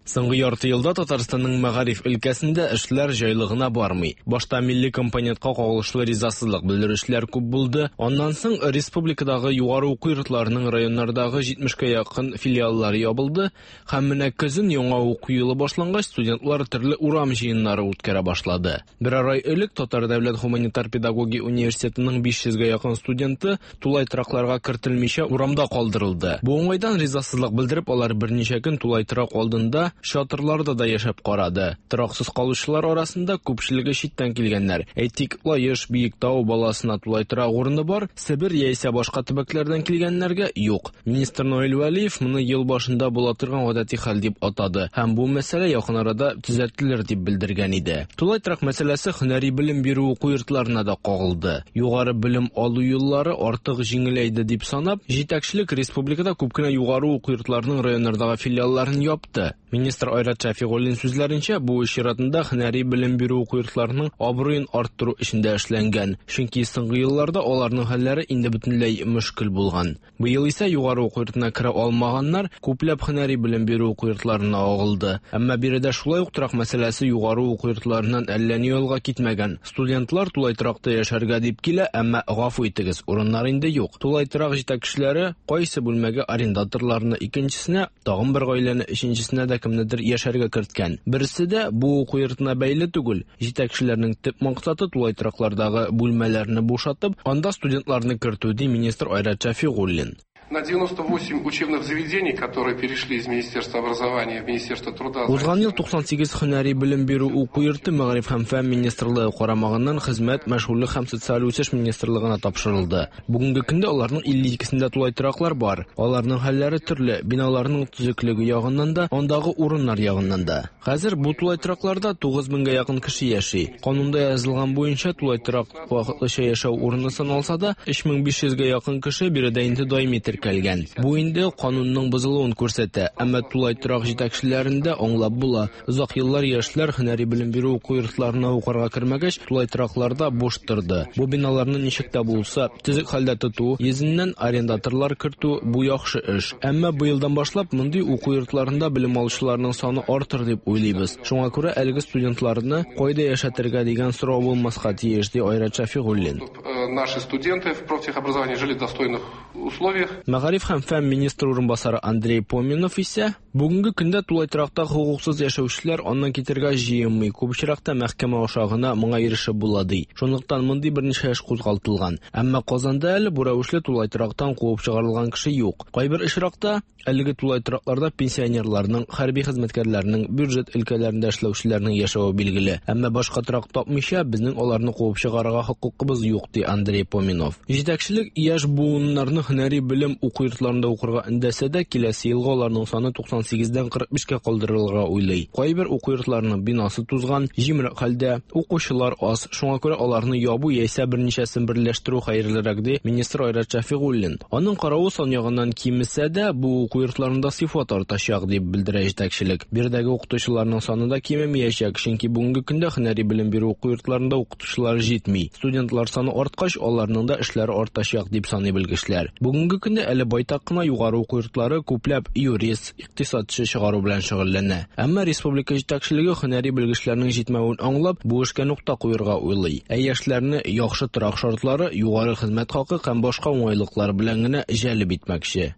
Соңгы ярты елда Татарстанның мәгариф өлкәсендә эшләр җайлы гына бармый. Башта милли компонентка кагылышлы ризасызлык белдерүчеләр күп булды. Аннан соң республикадагы югары уку йортларының районнардагы җитмешкә якын филиаллары ябылды һәм менә көзен яңа уку елы башлангач студентлар төрле урам җыеннары үткәрә башлады. Берәр ай элек Татар дәүләт гуманитар педагогия университетының биш йөзгә якын студенты тулай торакларга кертелмичә урамда калдырылды. Бу уңайдан ризасызлык белдереп, алар берничә көн тулай торак алдында чатырларда да яшәп карады. Тораксыз калучылар арасында күпчелеге читтән килгәннәр. Әйтик, Лаеш, Биектау баласына тулай торак урыны бар, Себер яисә башка төбәкләрдән килгәннәргә юк. Министр Наил Вәлиев моны ел башында була торган гадәти хәл дип атады һәм бу мәсьәлә якын арада төзәтелер дип белдергән иде. Тулай торак мәсьәләсе һөнәри белем бирү уку йортларына да кагылды. Югары белем алу юллары артык җиңеләйде дип санап, җитәкчелек республикада күп кенә югары уку йортларының районнардагы филиалларын япты. Министр Айрат Шәфигуллин сүзләренчә, бу эш чиратында һөнәри белем бирү уку йортларының абруен арттыру эшендә эшләнгән. Чөнки соңгы елларда аларның хәлләре инде бөтенләй мөшкел булган. Быел исә югары уку йортына керә алмаганнар күпләп һөнәри белем бирү уку йортларына агылды. Әмма биредә шулай ук торак мәсьәләсе югары уку йортларыннан әллә ни алга китмәгән. Студентлар тулай торакта яшәргә дип килә, әмма гафу итегез, урыннар инде юк. Тулай торак җитәкчеләре кайсы бүлмәгә арендаторларны, икенчесенә тагын бер гаиләне, өченчесенә дә кемнедер яшәргә керткән. Берсе дә бу уку йортына бәйле түгел. Җитәкчеләрнең төп максаты тулай тораклардагы бүлмәләрне бушатып, анда студентларны кертү, ди министр Айрат Шәфигуллин. На девяносто восемь учебных заведений, которые перешли из Министерства образования в Министерство труда. Узган ел туксан сигез һөнәри белем бирү уку йорты Мәгариф һәм фән министрлыгы карамагыннан Хезмәт, мәшгульлек һәм социаль үсеш министрлыгына тапшырылды. Бүгенге көндә аларның илле икесендә тулай тораклар бар. Аларның хәлләре төрле, биналарның төзеклеге ягыннан да, андагы урыннар ягыннан да. Хәзер бу тулай торакларда тугыз меңгә якын кеше яши. Канунда язылган буенча тулай торак вакытлыча яшәү урыны саналса да, өч мең биш йөзгә якын кеше биредә инде даими теркәлгән. Бу инде канунның бозылуын күрсәтә, әмма тулай торак җитәкчеләрен дә аңлап була. Озак еллар яшьләр һөнәри белем бирү уку йортларына укырга кермәгәч, тулай торакларда буш торды. Бу биналарны ничек тә булса төзек хәлдә тоту йөзеннән арендаторлар кертү бу яхшы эш. Әмма быелдан башлап мондый уку йортларында белем алучыларның саны артыр дип уйлыйбыз. Шуңа күрә әлеге студентларны кайда яшәтергә дигән сорау булмаска тиеш, ди Айрат Шәфигуллин. Э, Наши студенты в профтехобразовании жили в достойных условиях. Мәгариф һәм фән министры урынбасары Андрей Поминов исә бүгенге көндә тулай торакта хокуксыз яшәүчеләр аннан китәргә җыенмый. Күп очракта мәхкәмә аша гына моңа ирешеп була, ди. Шунлыктан мондый берничә эш кузгалтылган. Әмма Казанда әле бу рәвешле тулай торактан куып чыгарылган кеше юк. Кайбер очракта әлеге тулай торакларда пенсионерларның, хәрби хезмәткәрләрнең, бюджет өлкәләрендә эшләүчеләрнең яшәве билгеле. Әмма башка торак тапмыйча безнең аларны куып чыгарырга хокукыбыз юк, ди Андрей Поминов. Җитәкчелек яшь буыннарны һөнәри белем уку йортларында укырга өндәсә дә, киләсе елга аларның саны туксан сигездән кырык бишкә калдырылырга уйлый. Кайбер уку йортларының бинасы тузган, җимерек хәлдә, укучылар аз, шуңа күрә аларны ябу яисә берничәсен берләштерү хәерлерәк, ди министр Айрат Шәфигуллин. Аның каравы, сан ягыннан кимесә дә, бу уку йортларында сыйфат артачак, дип белдерә җитәкчелек. Биредәге укытучыларның саны да кимемәячәк, чөнки бүгенге көндә һөнәри белем бирү уку йортларында укытучылар җитми. Студентлар саны арткач, аларның да эшләре артачак, дип саный белгечләр. Бүгенге көндә әле байтак кына югары уку йортлары күпләп юрист, икътисадчы чыгару белән шөгыльләнә. Әмма республика җитәкчелеге һөнәри белгечләрнең җитмәвен аңлап, бу эшкә нокта куярга уйлый. Ә яшьләрне яхшы торак шартлары, югары хезмәт хакы һәм башка уңайлыклар белән генә җәлеп итмәкче.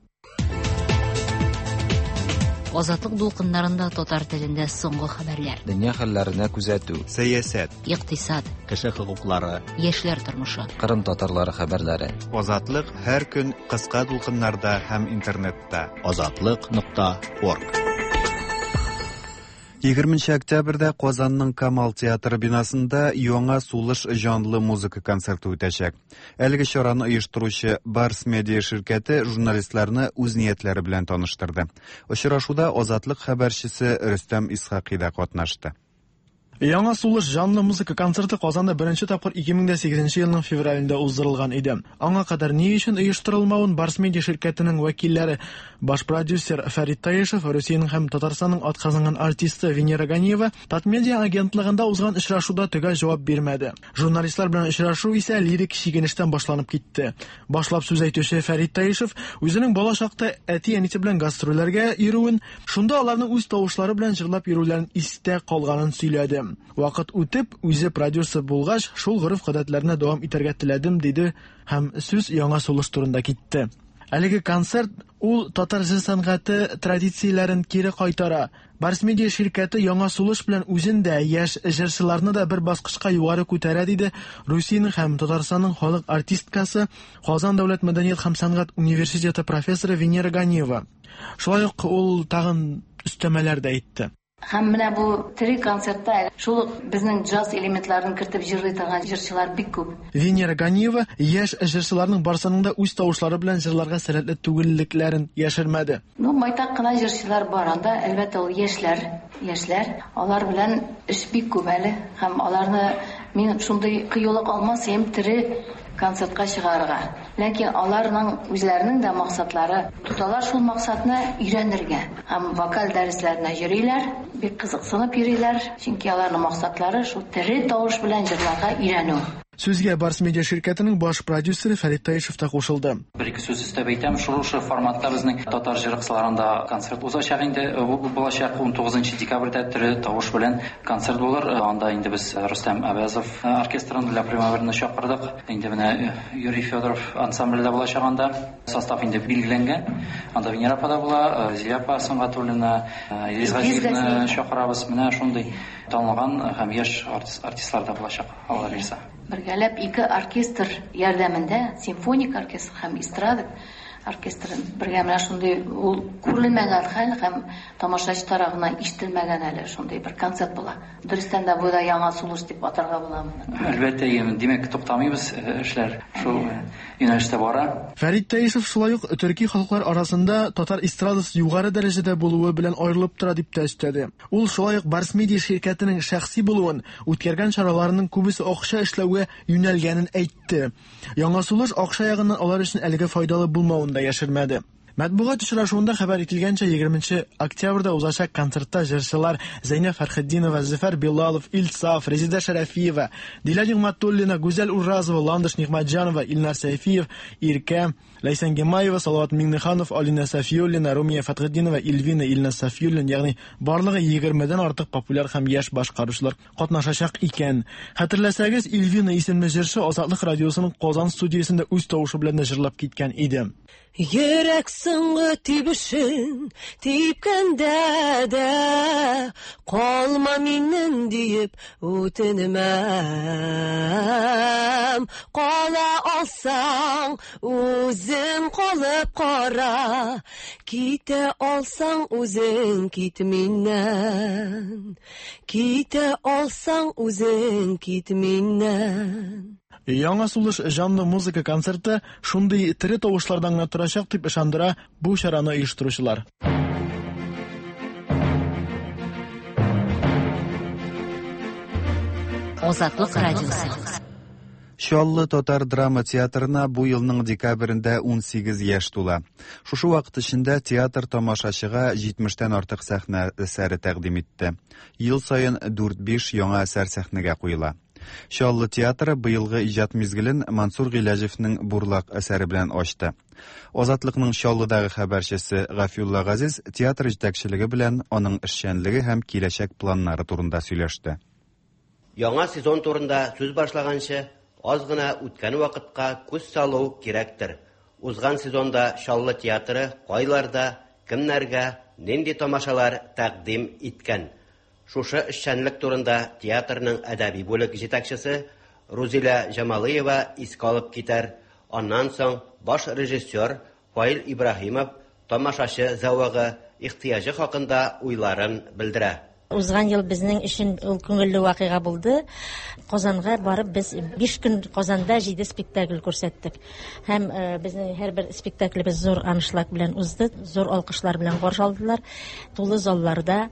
Азатлык дулкыннарында татар телендә соңгы хәбәрләр. Дөнья хәлләренә күзәтү. Сәясәт. Икътисад. Кеше хокуклары. Яшьләр тормышы. Кырым татарлары хәбәрләре. Азатлык һәр көн кыска дулкыннарда һәм интернетта. Азатлык нокта орг. Егерменче октябрьдә Казанның Камал театры бинасында Яңа сулыш җанлы музыка концерты үтәчәк. Әлеге чараны оештыручы Барс Медиа ширкәте журналистларны үз ниятләре белән таныштырды. Очрашуда Азатлык хәбәрчесе Рөстәм Исхакый да катнашты. Яңа сулыш җанлы музыка концерты Казанда беренче тапкыр ике мең дә сигезенче елның февралендә уздырылган иде. Аңа кадәр ни өчен оештырылмавын Барс Медиа ширкәтенең вәкилләре, баш продюсер Фәрит Таишев, Русиянең һәм Татарстанның атказанган артисты Венера Ганиева Татмедиа агентлыгында узган очрашуда төгәл җавап бирмәде. Журналистлар белән очрашу исә лирик чигенештән башланып китте. Башлап сүз әйтүче Фәрит Таишев үзенең бала чакта әти-әнисе белән гастрольләргә йөрүен, шунда аларның үз тавышлары белән җырлап йөрүләрен истә калганын сөйләде. Вакыт үтеп, үзе продюсер булгач, шул гореф-гадәтләрне дәвам итәргә теләдем, диде һәм сүз яңа сулыш турында китте. Әлеге концерт ул татар җыр сәнгате традицияләрен кире кайтара. Барс Медиа ширкәте яңа сулыш белән үзен дә, яшь җырчыларны да бер баскычка югары күтәрә, диде Русиянең һәм Татарстанның халык артисткасы, Казан дәүләт мәдәният һәм сәнгать университеты профессоры Венера Ганиева. Шулай ук ул тагын өстәмәләр дә әйтте. Һәм менә бу тере концертта шул ук безнең джаз элементларын кертеп җырлый торган җырчылар бик күп. Венера Ганиева яшь җырчыларның барсының да үз тавышлары белән җырларга сәләтле түгеллекләрен яшермәде. Ну, байтак кына җырчылар бар анда, әлбәттә, ул яшьләр, яшьләр, алар белән эш бик күп әле һәм аларны мин шундый кыюлык алмас идем тере концертка чыгарырга. Ләкин аларның үзләренең дә максатлары, тоталар шул максатны өйрәнергә. Һәм вокаль дәресләренә йөриләр, бик кызыксынып йөриләр, чөнки аларның максатлары шул тере тавыш белән җырларга өйрәнү. Сүзгә Барс Медиа ширкәтенең баш продюсеры Фәрит Таишев та кушылды. Бер ике сүз өстәп әйтәм, шушы форматта безнең татар җыры кысаларында концерт узачак инде, булачак ун тугызынчы декабрьдә тере тавыш белән концерт булыр. Анда инде без Рөстәм Әбәзов оркестрын Ля Примаверны чакырдык. Инде менә Юрий Федоров ансамбле дә булачак анда. Состав инде билгеләнгән. Анда Венера апа да була, Зилә апа Сөнгатуллина, Илгиз Газиевны чакырабыз. Менә шундый танылган һәм яшь артистлар да булачак, Алла бирсә. Бергәләп ике оркестр ярдәмендә, симфоник оркестр һәм эстрада оркестрын бергә менә шундый ул күрелмәгән хәл һәм тамашачы тарафыннан ишетелмәгән әле шундый бер концерт була. Дөрестән дә бу да яңа сулыш дип атарга була моны. Әлбәттә, димәк, туктамыйбыз, эшләр шул юнәлештә бара. Фәрит Таишев шулай ук төрки халыклар арасында татар эстрадасы югары дәрәҗәдә булуы белән аерылып тора дип тә өстәде. Ул шулай ук Барс Медиа ширкәтенең шәхси булуын, үткәргән чараларының күбесе акча эшләүгә юнәлгәнен әйтте. Яңа сулыш акча ягыннан алар өчен әлегә файдалы булмавын да яшермәде. Матбугат очрашуында хәбәр ителгәнчә, егерменче октябрьдә узачак концертта җырчылар Зәйнәб Фәрхетдинова, Зөфәр Билалов, Илсаф, Резеда Шәрәфиева, Дилә Нигъмәтуллина, Гүзәл Уразова, Ландыш Нигъмәтҗанова, Илнар Сәйфиев, Иркә, Ләйсән Гимаева, Салават Миңнеханов, Алина Сафиуллина, Румия Фәтхетдинова, Илвина, Илназ Сафиуллин, ягъни барлыгы егермедән артык популяр һәм яшь башкаручылар катнашачак икән. Хәтерләсәгез, Илвина исемле җырчы Азатлык радиосының Казан студиясендә үз тавышы белән дә җырлап киткән иде. Йөрәк соңгы тибешен типкәндә дә калма миннән диеп үтенмәм. Кала алсаң үзең калып кара, китә алсаң үзең кит миннән. Китә алсаң үзең кит миннән. Яңа сулыш җанлы музыка концерты шундый тере тавышлардан гына торачак дип ышандыра бу чараны оештыручылар. Азатлык радиосы. Чаллы татар драма театрына бу елның декабрендә ун сигез яшь тула. Шушы вакыт эчендә театр тамашачыга җитмештән артык сәхнә әсәре тәкъдим итте. Ел саен дүрт-биш яңа әсәр сәхнәгә куела. Чаллы театры быелгы иҗат мизгелен Мансур Гыйләҗевнең Бурлак әсәре белән ачты. Азатлыкның Чаллыдагы хәбәрчесе Гафиулла Газиз театр җитәкчелеге белән аның эшчәнлеге һәм киләчәк планнары турында сөйләште. Яңа сезон турында сүз башлаганчы аз гына үткән вакытка күз салу кирәктер. Узган сезонда Чаллы театры кайларда, кемнәргә, нинди тамашалар тәкъдим иткән? Шушы эшчәнлек турында театрның әдәби бүлек җитәкчесе Рузилә Җамалиева искә алып китәр. Аннан соң баш режиссер Фаил Ибраһимов тамашачы зәвыгы, ихтыяҗы хакында уйларын белдерә. Узган ел безнең өчен ул күңелле вакыйга булды. Казанга барып без биш көн Казанда җиде спектакль күрсәттек. Һәм безнең һәрбер спектаклебез зур аншлаг белән узды, зур алкышлар белән каршы алдылар. Тулы залларда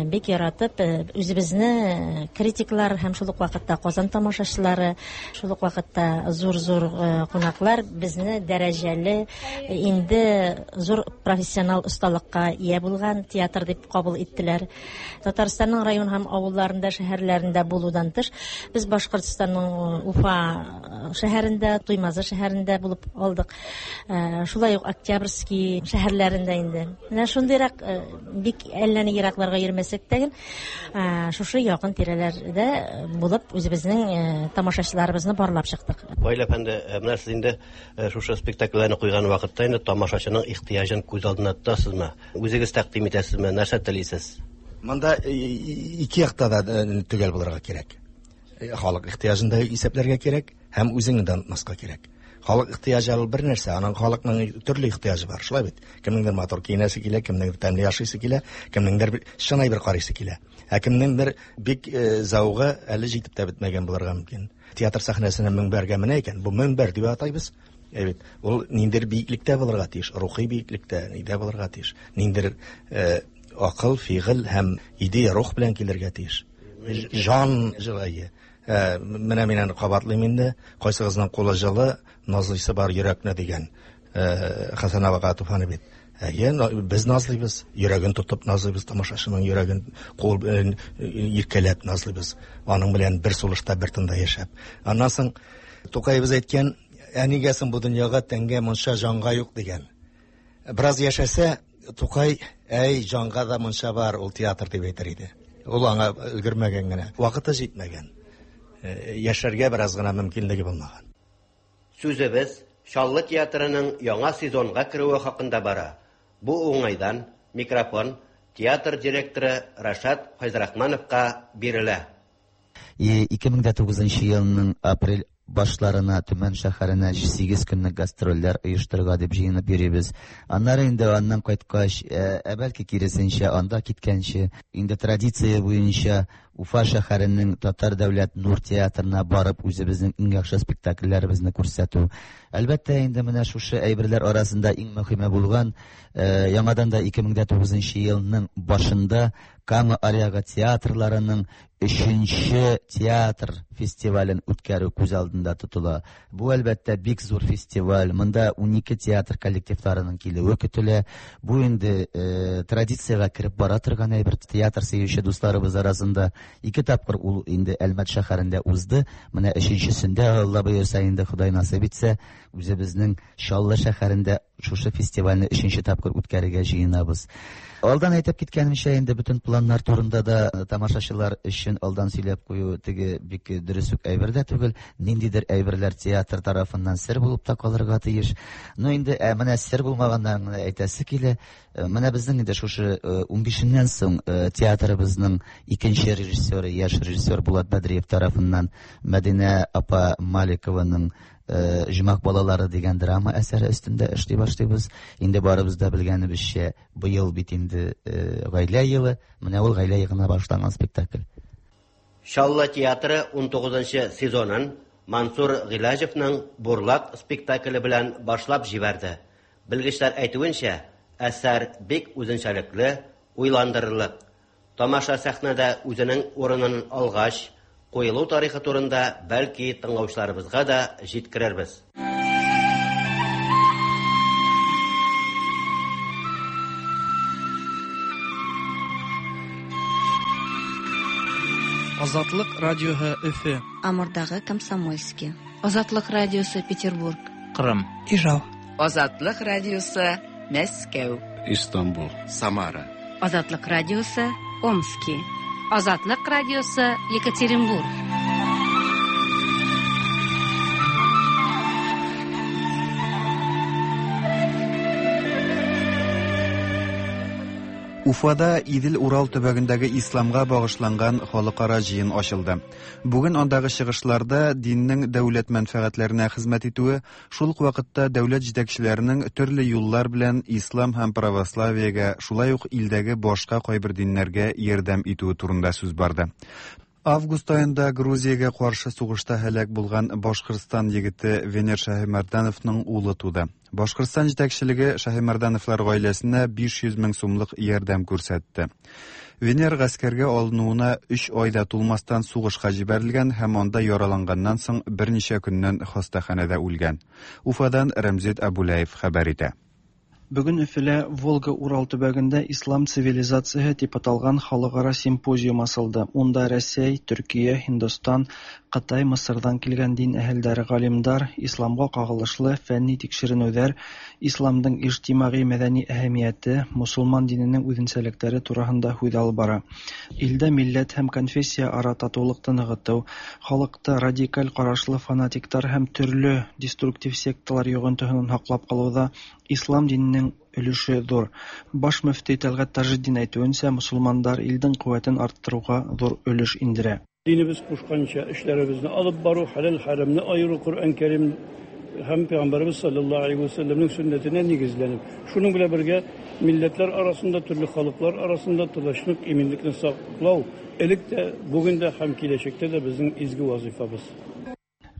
бик яратып, үзебезне критиклар һәм шул ук вакытта Казан тамашачылары, шул ук вакытта зур-зур кунаклар безне дәрәҗәле, инде зур профессионал осталыкка ия булган театр дип кабул иттеләр. Татарстанның район һәм авылларында, шәһәрләрендә булудан тыш, без Башкортстанның Уфа шәһәрендә, Туймазы шәһәрендә булып алдык. Шулай ук Октябрьский шәһәрләрендә инде. Менә шундыйрак бик әллә ни еракларга йөрмәсәк тә, шушы якын тирәләрдә булып үзебезнең тамашачыларыбызны барлап чыктык. Ваил әфәнде, менә сез инде шушы спектакльләрне куйган вакытта инде тамашачының ихтыяҗын күз алдына тотасызмы? Үзегез тәкъдим итәсезме? Нәрсә телисез? Монда ике якта да төгәл булырга кирәк. Халык ихтыяҗын да исәпләргә кирәк һәм үзеңне дә онытмаска кирәк. Халык ихтыяҗы ул бер нәрсә, аның халыкның төрле ихтыяҗы бар, шулай бит. Кемнеңдер матур киенәсе килә, кемнеңдер тәмле яшисе килә, кемнеңдер чын әйбер карыйсы килә. Ә кемнеңдер бик зәвыгы әле җитеп тә бетмәгән булырга мөмкин. Театр сәхнәсенә мөнбәргә менә икән, бу мөнбәр дип атайбыз. Әйбит, ул ниндер биеклектә булырга тиеш, рухи биеклектә, нидә булырга тиеш, ниндер акыл, фигыль һәм идея, рух белән килергә тиеш. Жан җылы. Менә мин аны кабатлыйм инде. Кайсыгызның кулы җылы, назлыйсы бар йөрәкне дигән Хәсән абага Туфаны бит. Әйе, без назлыйбыз, йөрәген тотып назлыйбыз, тамашачының йөрәген кул белән иркәләп назлыйбыз. Аның белән бер сулышта, бер тында яшәп. Аннан соң Тукаебыз әйткән, ә нигә соң бу дөньяга тәнгә монша, җанга юк дигән. Бераз яшәсә, Тукай, әй, җанга да монша бар, ул театр дип әйтер иде. Ул аңа өлгермәгән генә, вакыты җитмәгән. Яшәргә бераз гына мөмкинлеге булмаган. Сүзебез Чаллы театрының яңа сезонга керүе хакында бара. Бу уңайдан микрофон театр директоры Рашат Файзрахмановка бирелә. ике мең дә тугызынчы елның апрель башларына Төмән шәһәренә сигез көнлек гастрольләр оештырырга дип җыенып йөрибез. Аннары инде аннан кайткач, ә бәлки киресенчә, анда киткәнче, инде традиция буенча Уфа шәһәренең Татар дәүләт Нур театрына барып үзебезнең иң яхшы спектакльләребезне күрсәтү. Әлбәттә, инде менә шушы әйберләр арасында иң мөһиме булган, яңадан да ике мең дә тугызынчы елның башында Кама Аръягы театрларының өченче театр фестивален үткәрү күз алдында тотыла. Бу әлбәттә бик зур фестиваль. Монда унике театр коллективларының килүе көтелә. Бу инде э, традициягә кереп бара торган әйбер. Театр сөюче дусларыбыз арасында ике тапкыр ул инде Әлмәт шәһәрендә узды. Менә өченчесендә, Алла боерса, инде Ходай насыйп итсә, үзебезнең Чаллы шәһәрендә шушы фестивальне өченче тапкыр үткәрергә җыенабыз. Алдан әйтеп киткәнемчә, инде бөтен планнар турында да тамашачылар өчен алдан сөйләп кую теге бик дөрес үк әйбер дә түгел. Ниндидер әйберләр театр тарафыннан сер булып та калырга тиеш. Ну инде ә, менә сер булмаганнарын әйтәсе килә. Менә безнең инде шушы унбишеннән соң театрыбызның икенче режиссеры, яшь режиссер Булат Бәдриев тарафыннан Мәдинә апа Маликованың Җомак балалары дигән драма әсәре өстендә эшли башлыйбыз. Инде барыбыз да белгәнебезчә, быел бит инде гаилә елы, менә ул гаилә елына башланган спектакль. Чаллы театры унтугызынчы сезонын Мансур Гыйләҗевның Бурлак спектакле белән башлап җибәрде. Белгечләр әйтүенчә, әсәр бик үзенчәлекле, уйландырырлык. Тамаша сәхнәдә үзенең урынын алгач, куелу тарихы турында бәлки тыңлаучыларыбызга да җиткерербез. Азатлык радиоһы Өфе. Амурдагы Комсомольский. Азатлык радиосы Петербург. Кырым. Ижау. Азатлык радиосы Мәскәү. Истанбул. Самара. Азатлык радиосы Омский. Азатлык радиосы Екатеринбург. Уфада Идел-Урал төбәгендәге исламга багышланган халыкара җыен ачылды. Бүген андагы чыгышларда диннең дәүләт мәнфәгатьләренә хезмәт итүе, шул ук вакытта дәүләт җитәкчеләренең төрле юллар белән ислам һәм православиегә, шулай ук илдәге башка кайбер диннәргә ярдәм итүе турында сүз барды. Август аенда Грузиягә каршы сугышта һәлак булган Башкортстан егете Венер Шаһимәрдановның улы туды. Башкортстан җитәкчелеге Шаһимәрдановлар гаиләсенә биш йөз мең сумлык ярдәм күрсәтте. Венер гаскәргә алынуына өч айда тулмастан сугышка җибәрелгән һәм анда яраланганнан соң берничә көннән хастаханәдә үлгән. Уфадан Рәмзит Абулаев хәбәр итә. Бүген Өфөлә Волга-Урал төбәгендә Ислам цивилизацияһы дип аталган халыкара симпозиум асылды. Унда Рәсәй, Төркия, Һиндстан, Кытай, Мысырдан килгән дин әһелдәре, галимдар, исламга кагылышлы фәнни тикшеренүләр, исламның иҗтимагый мәдәни әһәмияте, мусулман диненең үзенчәлекләре тураһында һүҙ алып бара. Илдә милләт һәм конфессия ара татулыкты ныгытыу, халыкты радикаль карашлы фанатиктар һәм төрле деструктив секталар йогынтыһынан һаклап калыуҙа ислам диненең өлөшө ҙур. Баш мөфти Тәлғәт Тажетдин әйтеүенсә, мосолмандар илдең ҡеүәтен арттырыуға ҙур өлөш индерә. Динебеҙ ҡушҡанса эшләребеҙҙе алып барыу, хәләл хәрамны айырыу, Ҡөрьән Кәрим һәм Пәйғәмбәребеҙ саллаллаһу алейһи ва сәлләмнең сөннәтенә нигеҙләнеп, шуның белән бергә милләтләр арасында, төрлө халыҡлар арасында тыныслыҡ, именлекне саҡлау элек тә, бөгөн дә һәм киләсәктә дә беҙҙең изге вазифабыҙ.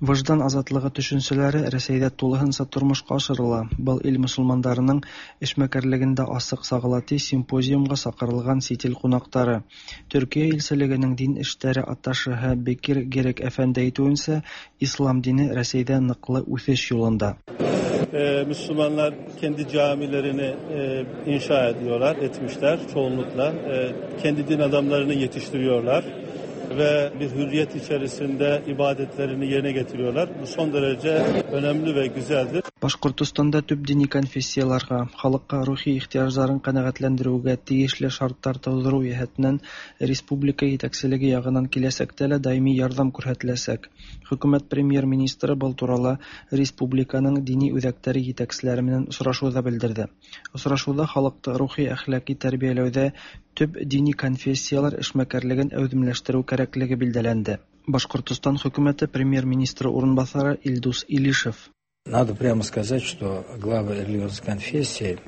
Выждан азатлығы төшөнсәләре Рәсәйҙә тулыһынса тормошҡа ашырыла. Был ил мосолмандарының эшмәкәрлегендә асыҡ сағыла, ти симпозиумға саҡырылған сит ил ҡунаҡтары. Төркиә илселегенең дин эштәре атташеһы Бекир Герек әфәнде әйтеүенсә, ислам дине Рәсәйҙә ныҡлы үҫеш юлында. Müslümanlar kendi camilerini inşa ediyorlar, etmişler çoğunlukla. Kendi din adamlarını yetiştiriyorlar ve bir hürriyet içerisinde ibadetlerini yerine getiriyorlar. Bu son derece önemli ve güzeldir. Башҡортостанда төп дини конфессияларға, халыҡҡа рухи ихтыяждарын ҡәнәғәтләндереүгә тейешле шарттар тыуҙырыу йәһәтенән республика етәкселеге яғынан киләсәктә лә даими ярҙам күрһәтеләсәк. Хөкүмәт премьер-министры был турала республиканың дини үҙәктәре етәкселәре менән осрашыуҙа белдерҙе. Осрашыуҙа халыҡты рухи әхлаҡи тәрбиәләүҙә төп дини конфессиялар эшмәкәрлеген әүҙемләштереү кәрәклеге билдәләнде. Башҡортостан хөкүмәте премьер-министры урынбаҫары Илдус Илишев. Надо прямо сказать, что главы религиозной конфессии,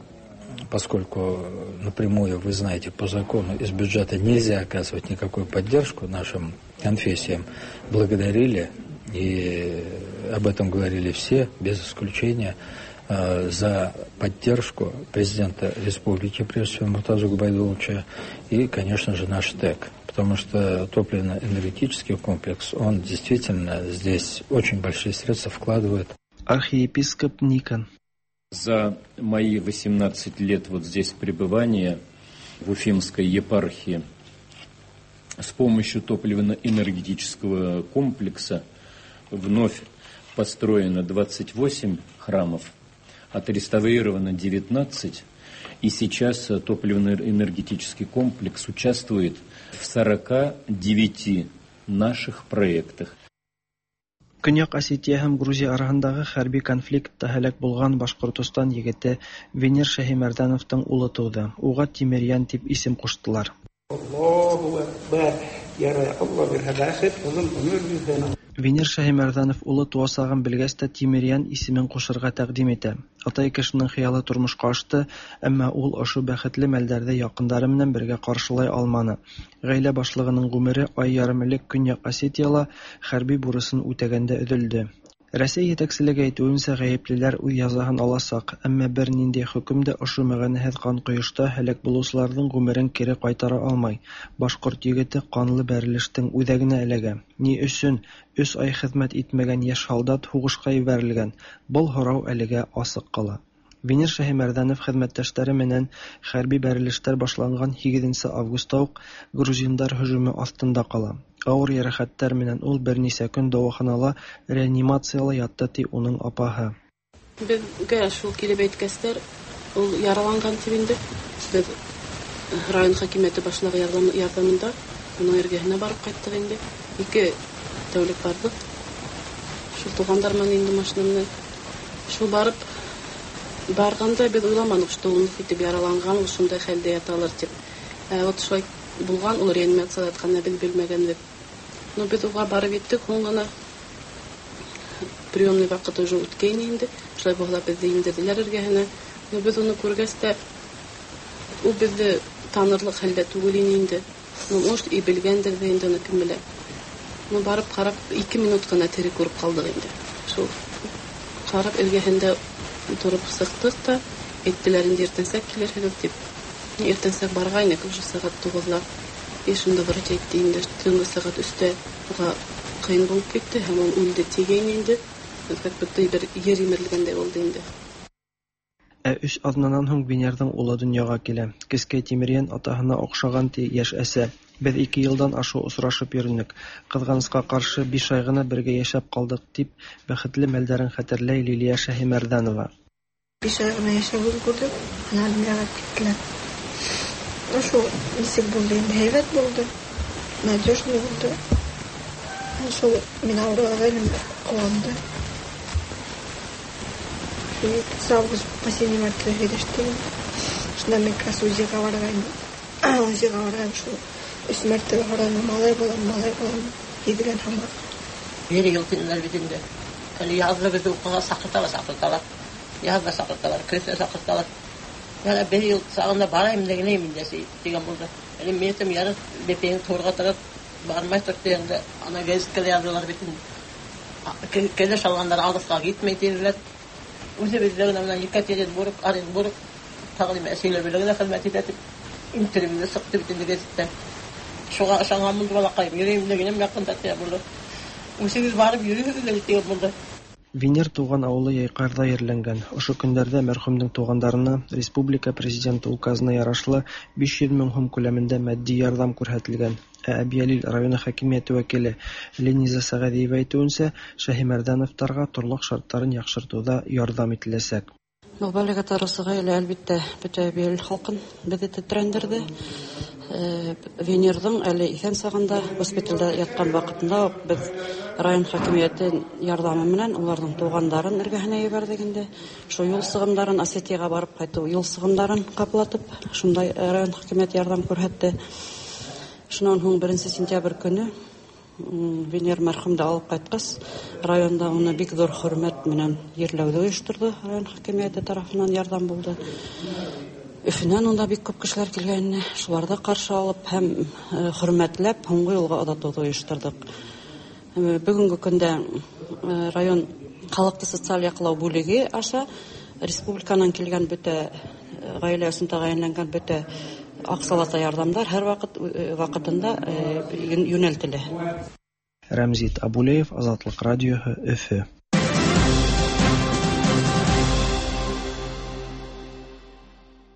поскольку напрямую, вы знаете, по закону из бюджета нельзя оказывать никакую поддержку нашим конфессиям, благодарили, и об этом говорили все, без исключения, за поддержку президента республики, прежде всего Муртазу Губайдулловича, и, конечно же, наш ТЭК. Потому что топливно-энергетический комплекс, он действительно здесь очень большие средства вкладывает. Архиепископ Никон. За мои восемнадцать лет вот здесь пребывания в Уфимской епархии с помощью топливно-энергетического комплекса вновь построено двадцать восемь храмов, отреставрировано девятнадцать, и сейчас топливно-энергетический комплекс участвует в сорока девяти наших проектах. Көньяҡ Осетия һәм Грузия араһындағы хәрби конфликтта һәләк булған Башҡортостан егете Венер Шаһимәрдановтың улы тыуҙы. Уға Тимерйән тип исем ҡуштылар. Аллаһу акбар, ярай, Алла бирһә бәхет, оҙон ғүмер бирһен. Венер Шаһимәрҙанов улы тыуасағын белгәс тә Тимерйән исемен ҡушырға тәҡдим итә. Атай кешенең хыялы тормошҡа ашты, әммә ул ошо бәхетле мәлдәрҙе яҡындары менән бергә ҡаршылай алманы. Ғаилә башлығының ғүмере ай ярым элек Көньяҡ Осетияла хәрби бурысын үтәгәндә өҙөлдө. Рәсәй етәкселеге әйтеүенсә, ғәйеплеләр үҙ язаһын аласаҡ, әммә бер ниндәй хөкөм дә ошо мәғәнәһеҙ ҡан ҡойошта һәләк булыусыларҙың ғүмерен кире ҡайтара алмай. Башҡорт егете ҡанлы бәрелештең үҙәгенә эләгә. Ни өсөн өс ай хеҙмәт итмәгән йәш һалдат һуғышҡа ебәрелгән? Был һорау әлегә асыҡ ҡала. Венер Шаһимәрҙанов хеҙмәттәштәре менән хәрби бәрелештәр башланған һигеҙенсе августа уҡ грузиндар һөжүме аҫтында ҡала. Ауыр йәрәхәттәр менән ул бер нисә көн дауаханала реанимацияла ятты, ти уның апаһы. Беҙгә шул килеп әйткәстәр, ул яраланған тип инде. Беҙ район хакимиәте башлығы ярҙамында уның эргәһенә барып ҡайттыҡ инде. Ике тәүлек барҙыҡ. Шул туғандар менән инде машина менән. Шул барып барғанда беҙ уйламаныҡ, что ул итеп яраланған, ул шундай хәлдә яталыр тип. Вот шулай булган, ул реанимацияда ятканны без белмәгәнбез. Но без уга барып еттек, һуң гына приемный вакыт уже үткән инде. Шулай булса безне индерделәр эргәһенә. Но без уны күргәч тә, ул безне танырлык хәлдә түгел ине инде. Ну, может, и белгәндер дә инде, аны кем белә. Ну, барып карап, ике минут кына тере күреп калдык инде. Шул карап эргәһендә торып сыктык та, әйттеләр инде иртәнсәк килерһегез дип. Иртәнсәк баргайнык, уже сәгать тугызлар. И шунда врач әйтте инде, төнге сәгать өстә уга кыен булып китте һәм ул үлде дигән инде. Как будто бер ер имерелгәндәй булды инде. Ә өч аҙнанан һуң Венерҙың улы донъяға килә. Кескәй Тимерйән атаһына оҡшаған ти йәш әсә. Беҙ ике йылдан ашыу осрашып йөрөнөк. Ҡыҙғанысҡа ҡаршы биш ай ғына бергә йәшәп ҡалдыҡ, тип бәхетле мәлдәрен хәтерләй Лилиә Шәһимәрҙәнова. Биш ай ғына йәшәп өлгөрҙөк, ана донъяға киттеләр. Шул нисек булды инде, һәйбәт булды, надежный булды. Шул мин ауырығайным, ҡыуанды. Август последний мәртәбә һөйләштек. Шунда мин как раз УЗИға барғайным. УЗИға барғайным, шул өс мәртәбә һораным, малай булам, малай булам, һиҙгән һымаҡ. Бер йыл тинеләр бит инде. Әле яҙҙы беҙҙе уҡыуға саҡырталар, саҡырталар. Яҙҙа саҡырталар, көҙҙә саҡырталар. Яна бер йыл сағында барайым дигәнем инде тигән булды. Әле мин әйтәм, ярар, бәпәйең турға торып бармай тор тигәндә, ана гәзиткә яҙҙылар бит инде. Кәләш алғандар алыҫҡа китмәй тинеләр. Үҙебеҙҙә генә менән Екатеринбург, Оренбург, тағы нимә әсәйләр белән генә хеҙмәт итә тип интервью сыҡты бит инде гәзиттән. Шуға ышанған булды балаҡайым, йөрөйөм дигәнем яҡында тигән булды. Үҙегеҙ барып йөрөйһөгөҙ әле тигән булды. Венер тыуған ауылы Йәйҡарҙа ерләнгән. Ошо көндәрҙә мәрхүмдең туғандарына республика президенты указына ярашлы биш йөҙ мең һум күләмендә матди ярҙам күрһәтелгән. Ә Әбйәлил районы хакимиәте вәкиле Лениза Сәғәҙиева әйтеүенсә, Шәһимәрҙәновтарға торлаҡ шарттарын яҡшыртыуҙа ярҙам ителәсәк. Бәләгә тарысы ғаилә, әлбиттә, бөтә Әбйәлил халҡын беҙҙе тетрәндерҙе. Венерҙың әле иҫән сағында госпиталдә ятҡан ваҡытында уҡ беҙ район хакимиәте ярҙамы менән уларҙың туғандарын эргәһенә ебәрҙек инде. Шул юл сығымдарын, Осетияға барып ҡайтыу юл сығымдарын ҡаплатып, шундай район хакимиәте ярҙам күрһәтте. Шунан һуң беренсе сентябрь көнө Венер мәрхүмде алып ҡайтҡас, районда уны бик ҙур хөрмәт менән ерләүҙе ойошторҙо. Район хакимиәте тарафынан ярҙам булды. Өфөнән унда бик күп кешеләр килгәйне, шуларҙы ҡаршы алып һәм хөрмәтләп һуңғы юлға оҙатыуҙы ойошторҙоҡ. Бөгөнгө көндә район халыҡты социаль яҡлау бүлеге аша республиканан килгән бөтә ғаилә өсөн тәғәйенләнгән бөтә аҡсалата ярҙамдар һәр ваҡыт ваҡытында йүнәлтелә. Рәмзит Абулеев, Азатлыҡ радиоһы, Өфө.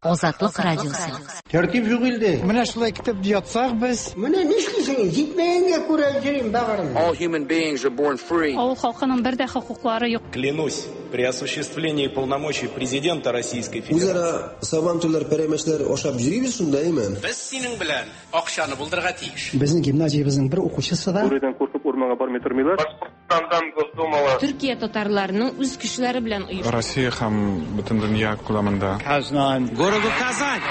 Азатлык радиосы. Тәртип юк илдә. Менә шулай китеп ятсак без. Менә нишлисең? Җитмәгәнгә күрә йөрим багырым. All human beings are born free. Авыл халкының бер дә хокуклары юк. Клянусь, при осуществлении полномочий президента Российской Федерации. Үзара сабантуйлар, пәрәмәчләр ашап йөрибез шунда, әйме? Без синең белән акчаны булдырырга тиеш. Безнең гимназиябезнең бер укучысы да Бүредән куркып урманга бармый тормыйлар. Башкортстандан Госдумала. Төркия татарларының үз көчләре белән оешты. Россия һәм бөтен дөнья күләмендә. Казан. Городу Казань.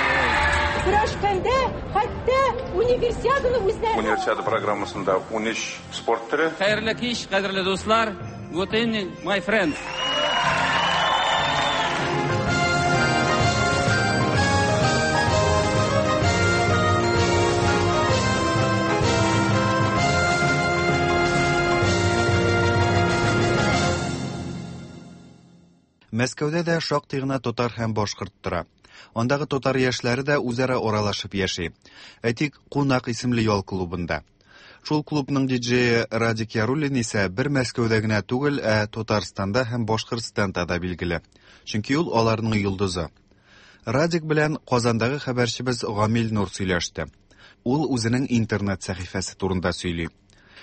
Көрәшкәндә хәтта универсиаданы үзләре. Универсиада программасында ун өч спорт төре. Хәерле кич, кадерле дуслар. Good evening, my friends. Мәскәүдә дә шактый гына татар һәм башкорт тора. Андагы татар яшьләре дә үзара аралашып яши. Әйтик, Кунак исемле ял клубында. Шул клубның диджее Радик Яруллин исә бер Мәскәүдә генә түгел, ә Татарстанда һәм Башкортстанда да билгеле. Чөнки ул аларның йолдызы. Радик белән Казандагы хәбәрчебез Гамил Нур сөйләште. Ул үзенең интернет сәхифәсе турында сөйли.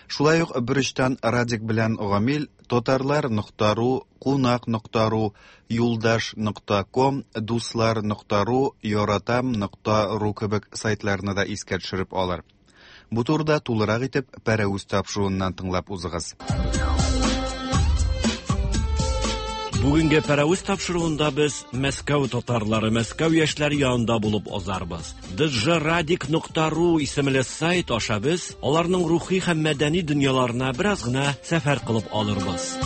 Шулай ук бер өчтән Радик белән Гамил татарлар нокта ру, кунак нокта ру, юлдаш нокта ком, дуслар нокта ру, яратам нокта ру кебек сайтларны да искә төшереп алыр. Бу турыда тулырак итеп Пәрәвез тапшыруыннан тыңлап узыгыз. Бүгенге Пәрәвез тапшыруында без Мәскәү татарлары, Мәскәү яшьләре янында булып узарбыз. ди джей радик нокта ру исемле сайт аша без аларның рухи һәм мәдәни дөньяларына бераз гына сәфәр кылып алырбыз.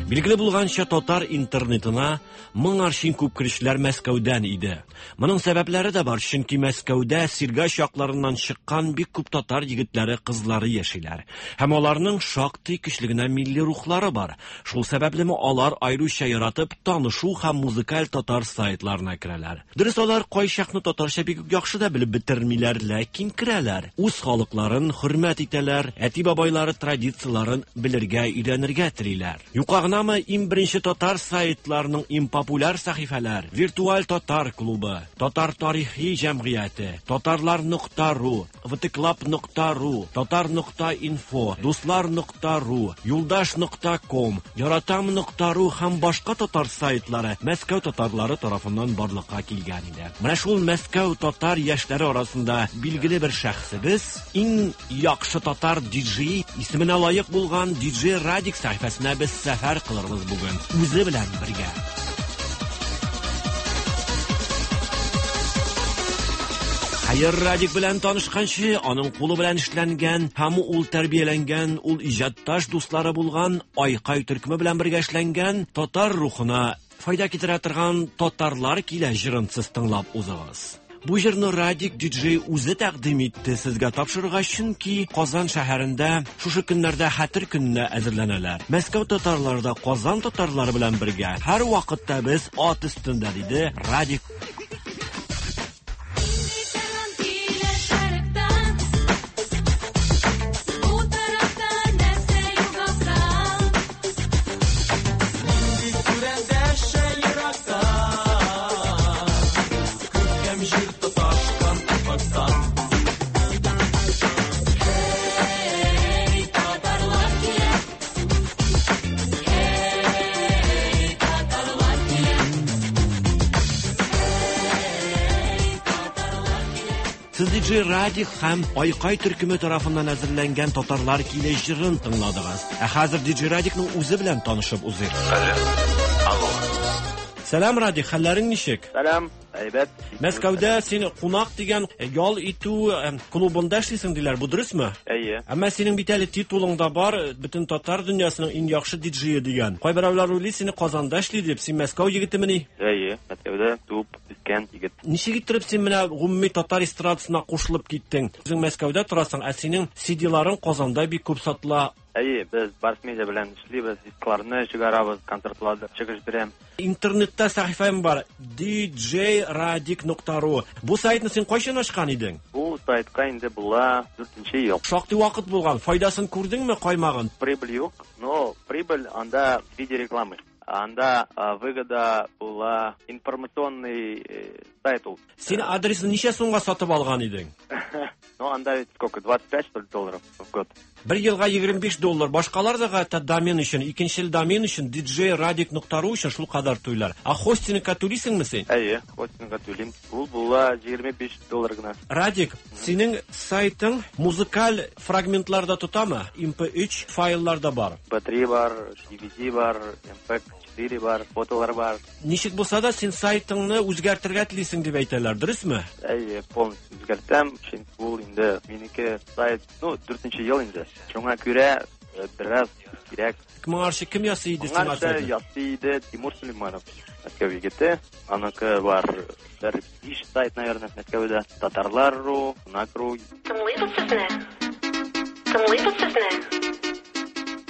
Билгеле булганча, татар интернетына моңарчы күп керүчеләр Мәскәүдән иде. Моның сәбәпләре дә бар, чөнки Мәскәүдә Сергач якларыннан чыккан бик күп татар егетләре, кызлары яшиләр. Һәм аларның шактый көчле генә милли рухлары бар. Шул сәбәплеме алар аеруча яратып танышу һәм музыкаль татар сайтларына керәләр. Дөрес, алар кайчакны татарча бик үк яхшы да белеп бетермиләр, ләкин керәләр. Үз халыкларын хөрмәт итәләр, әти-бабайлары традицияларын белергә, өйрәнергә телиләр. Юка гына иң беренче татар сайтларының иң популяр сәхифәләр: Виртуаль татар клубы, Татар тарихи җәмгыяте, Татарлар нокта ру, втклаб нокта ру, Татар нокта инфо, Дуслар нокта ру, Юлдаш нокта ком, Яратам нокта ру һәм башка татар сайтлары Мәскәү татарлары тарафыннан барлыкка килгән иде. Менә шул Мәскәү татар яшьләре арасында билгеле бер шәхсебез, иң яхшы татар диджей исеменә лаек булган ди джей Радик сәхифәсенә без сәфәр кылырбыз бүген үзе белән бергә. Хәер, Радик белән танышканчы, аның кулы белән эшләнгән һәм ул тәрбияләнгән, ул иҗатташ дуслары булган Айкай төркеме белән бергә эшләнгән татар рухына файда китерә торган Татарлар килә җырын сез тыңлап узыгыз. Бу җырны Радик диджей үзе тәкъдим итте сезгә тапшырырга, чөнки Казан шәһәрендә шушы көннәрдә хәтер көненә әзерләнәләр. Мәскәү татарлары да Казан татарлары белән бергә һәр вакытта без ат өстендә, диде Радик. ди джей Радик һәм Айкай төркеме тарафыннан әзерләнгән Татарлар килә җырын тыңладыгыз. Ә хәзер ди джей Радикның үзе белән танышып узыйк. Алло. Сәлам, Радик, хәлләрең ничек? Сәлам, әйбәт. Мәскәүдә син кунак дигән ял итү клубында эшлисең диләр, бу дөресме? Әйе. Әмма синең бит әле титулың да бар, бөтен татар дөньясының иң яхшы диджейы дигән. Кайберәүләр уйлый сине Казанда эшли дип, син Мәскәү егетемени? Әйе, Мәскәүдә туып үскән егет. Ничек иттереп син менә гомуми татар эстрадасына кушылып киттең? Үзең Мәскәүдә торасың, ә синең си ди-ларың Казанда бик күп сатыла. Әйе, без Барс Медиа белән эшлибез, дискларны чыгарабыз, концертларда чыгыш бирәм. Интернетта сәхифәм бар, ди джей радик нокта ру. Бу сайтны син кайчан ачкан идең? Бу сайтка инде була дүртенче ел. Шактый вакыт булган. Файдасын күрдеңме каймагын? Прибыль юк, но прибыль анда в виде рекламы. Анда выгода була информационный сайт ул. Син адресын ничә сумга сатып алган идең? Ну, анда ведь сколько, двадцать пять, что ли, долларов в год? Бер елга егерме биш доллар. Башкалар да хәтта домен өчен, икенчел домен өчен, ди джей радик нокта ру өчен шул кадәр түлиләр. Ә хостингка түлисеңме син? Әйе, хостингка түлим. Ул була егерме биш доллар гына. Радик, синең сайтың музыкаль фрагментларда тотамы? эм пэ өч файлларда бар. эм пэ три бар, ди ви ди бар, эм пэ четыре бар, фотолар бар. Ничек булса да син сайтыңны үзгәртергә телисең дип әйтәләр, дөресме? Әйе, полностью үзгәртәм, чөнки ул инде минеке сайт, ну, дүртенче ел инде. Шуңа күрә бераз кирәк. Моңарчы кем ясый иде сиңа Моңарчы сайтны? ясый иде Тимур Сулейманов, Мәскәү егете. Аныкы бар бер биш сайт, наверное, Мәскәүдә. Татарлар ру, Кунак ру. Тыңлыйбыз сезне. Тыңлыйбыз сезне.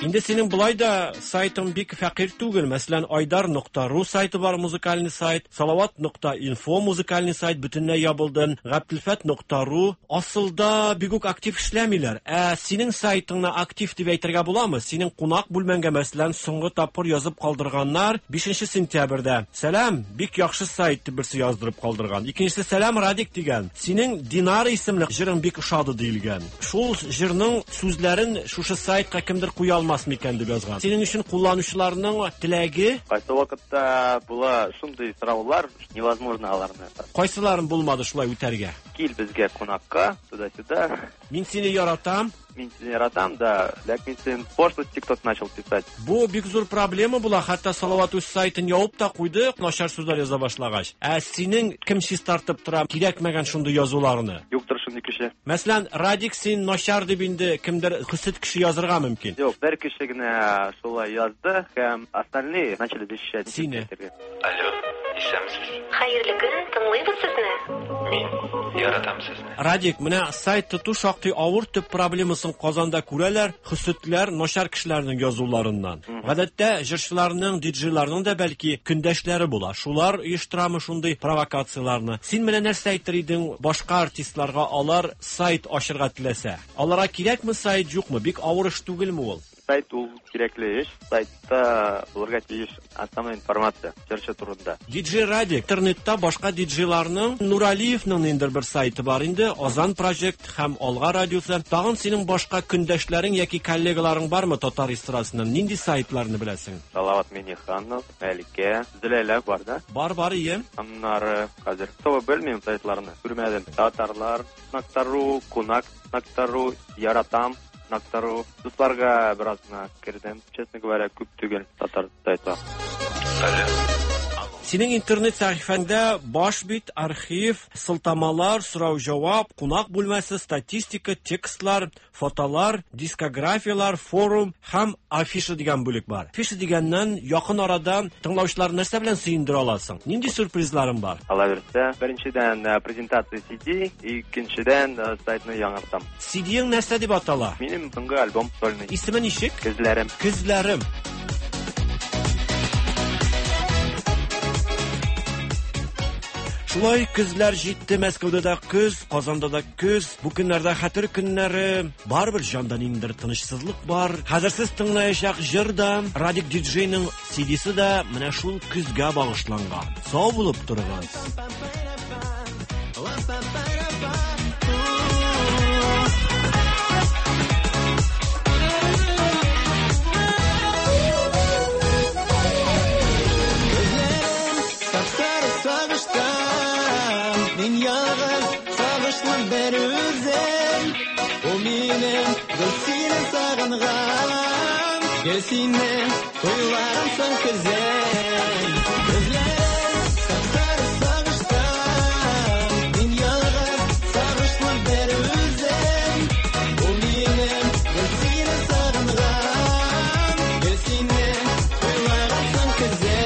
Инде синең болай да сайтың бик фәкыйрь түгел. Мәсәлән, Айдар нокта ру сайты бар, музыкальный сайт, Салават нокта инфо музыкальный сайт бөтенләй ябылды, Габделфәт нокта ру асылда бик үк актив эшләмиләр. Ә синең сайтыңны актив дип әйтергә буламы? Синең кунак бүлмәңгә, мәсәлән, соңгы тапкыр язып калдырганнар бишенче сентябрьдә. Сәлам, бик яхшы сайт дип берсе яздырып калдырган. Икенчесе Сәлам Радик дигән. Синең Динара исемле җырың бик ошады диелгән. Шул җырның сүзләрен шушы сайтка кемдер куя алмас микән дип язган. Синең өчен кулланучыларның теләге Кайсы вакытта була шундый сораулар, невозможно аларны. Кайсыларын булмады шулай үтәргә? Кил безгә кунакка, туда-сюда. Мин сине яратам. Мин сине яратам, да, ләкин син пошлости кто-то начал писать. Бу бик зур проблема була, хәтта Салават үз сайтын ябып та куйды, начар сүзләр яза башлагач. Ә синең кем чистартып тора кирәкмәгән шундый язуларны? Юктыр шундый кеше. Мәсәлән, Радик син начар дип инде кемдер хөсет кеше язырга мөмкин. Юк, бер кеше генә шулай язды, һәм остальные начали защищать. Сине. Алло, исәнмесез. Хәерле көн, тыңлыйбыз сезне. Мин яратам сезне. Радик, менә сайт тоту шактый авыр, төп проблемасын Казанда күрәләр, хөсетләр, начар кешеләрнең язуларыннан. Гадәттә җырчыларның, диджейларның да бәлки көндәшләре була. Шулар оештырамы шундый провокацияларны? Син менә нәрсә әйтер идең башка артистларга, алар сайт ачырга теләсә? Аларга кирәкме сайт, юкмы? Бик авыр эш түгелме ул? Сайт ул кирәкле эш. Сайтта булырга тиеш основная информация җырчы турында. Диджей Радик, интернетта башка диджейларның, Нуралиевның инде бер сайты бар инде, Азан Project һәм Алга радиосы. Тагын синең башка көндәшләрең яки коллегаларың бармы татар эстрадасыннан? Нинди сайтларны беләсең? Салават Миниханов, Мәликә, Зөләйлә бар да? Бар, бар, ие. Аннары хәзер того белмим сайтларны. Күрмәдем. Татарлар нокта ру, Кунак нокта ру, Яратам нокта ру. Дусларга бераз гына кердем. Честно говоря, күп түгел татар сайтлар. Алло. Синең интернет сәхифәңдә баш бит, архив, сылтамалар, сорау-җавап, кунак бүлмәсе, статистика, текстлар, фотолар, дискографиялар, форум һәм афиша дигән бүлек бар. Афиша дигәннән якын арада тыңлаучыларны нәрсә белән сөендерә аласың? Нинди сюрпризларың бар? Ала бирсә, беренчедән презентация си ди, икенчедән сайтны яңартам. си ди-ең нәрсә дип атала? Минем соңгы альбом сольный. Исеме ничек? Көзләрем. Көзләрем. Шулай көзләр җитте, Мәскәүдә дә көз, Казанда да көз. Бу көннәрдә хәтер көннәре, барыбер җанда ниндидер тынычсызлык бар. Хәзер сез тыңлаячак җыр да, Радик диджейның си ди-се дә менә шул көзгә багышланган. Сау булып торыгыз. Бер үзем, ул минем гел сине сагынган, гел сине уйлаган көзем. Көзләрем сап-сары сагыштан, мин ялгыз сагышлы бер үзем, ул минем гел сине сагынган, гел сине уйлаган көзем.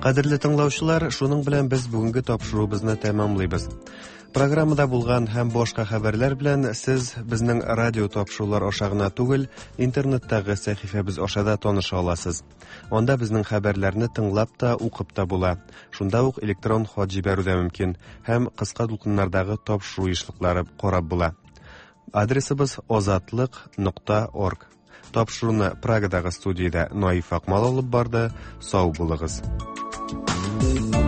Кадерле тыңлаучылар, шуның белән без бүгенге тапшыруыбызны тәмамлыйбыз. Программада булган һәм башка хәбәрләр белән сез безнең радио тапшырулар аша гына түгел, интернеттагы сәхифәбез аша да таныша аласыз. Анда безнең хәбәрләрне тыңлап та, укып та була. Шунда ук электрон хат җибәрү дә мөмкин һәм кыска дулкыннардагы тапшыру ешлыклары карап була. Адресыбыз озатлык нокта орг. Тапшыруны Прагадагы студиядә Наиф Акмал алып барды. Сау булыгыз. Thank you.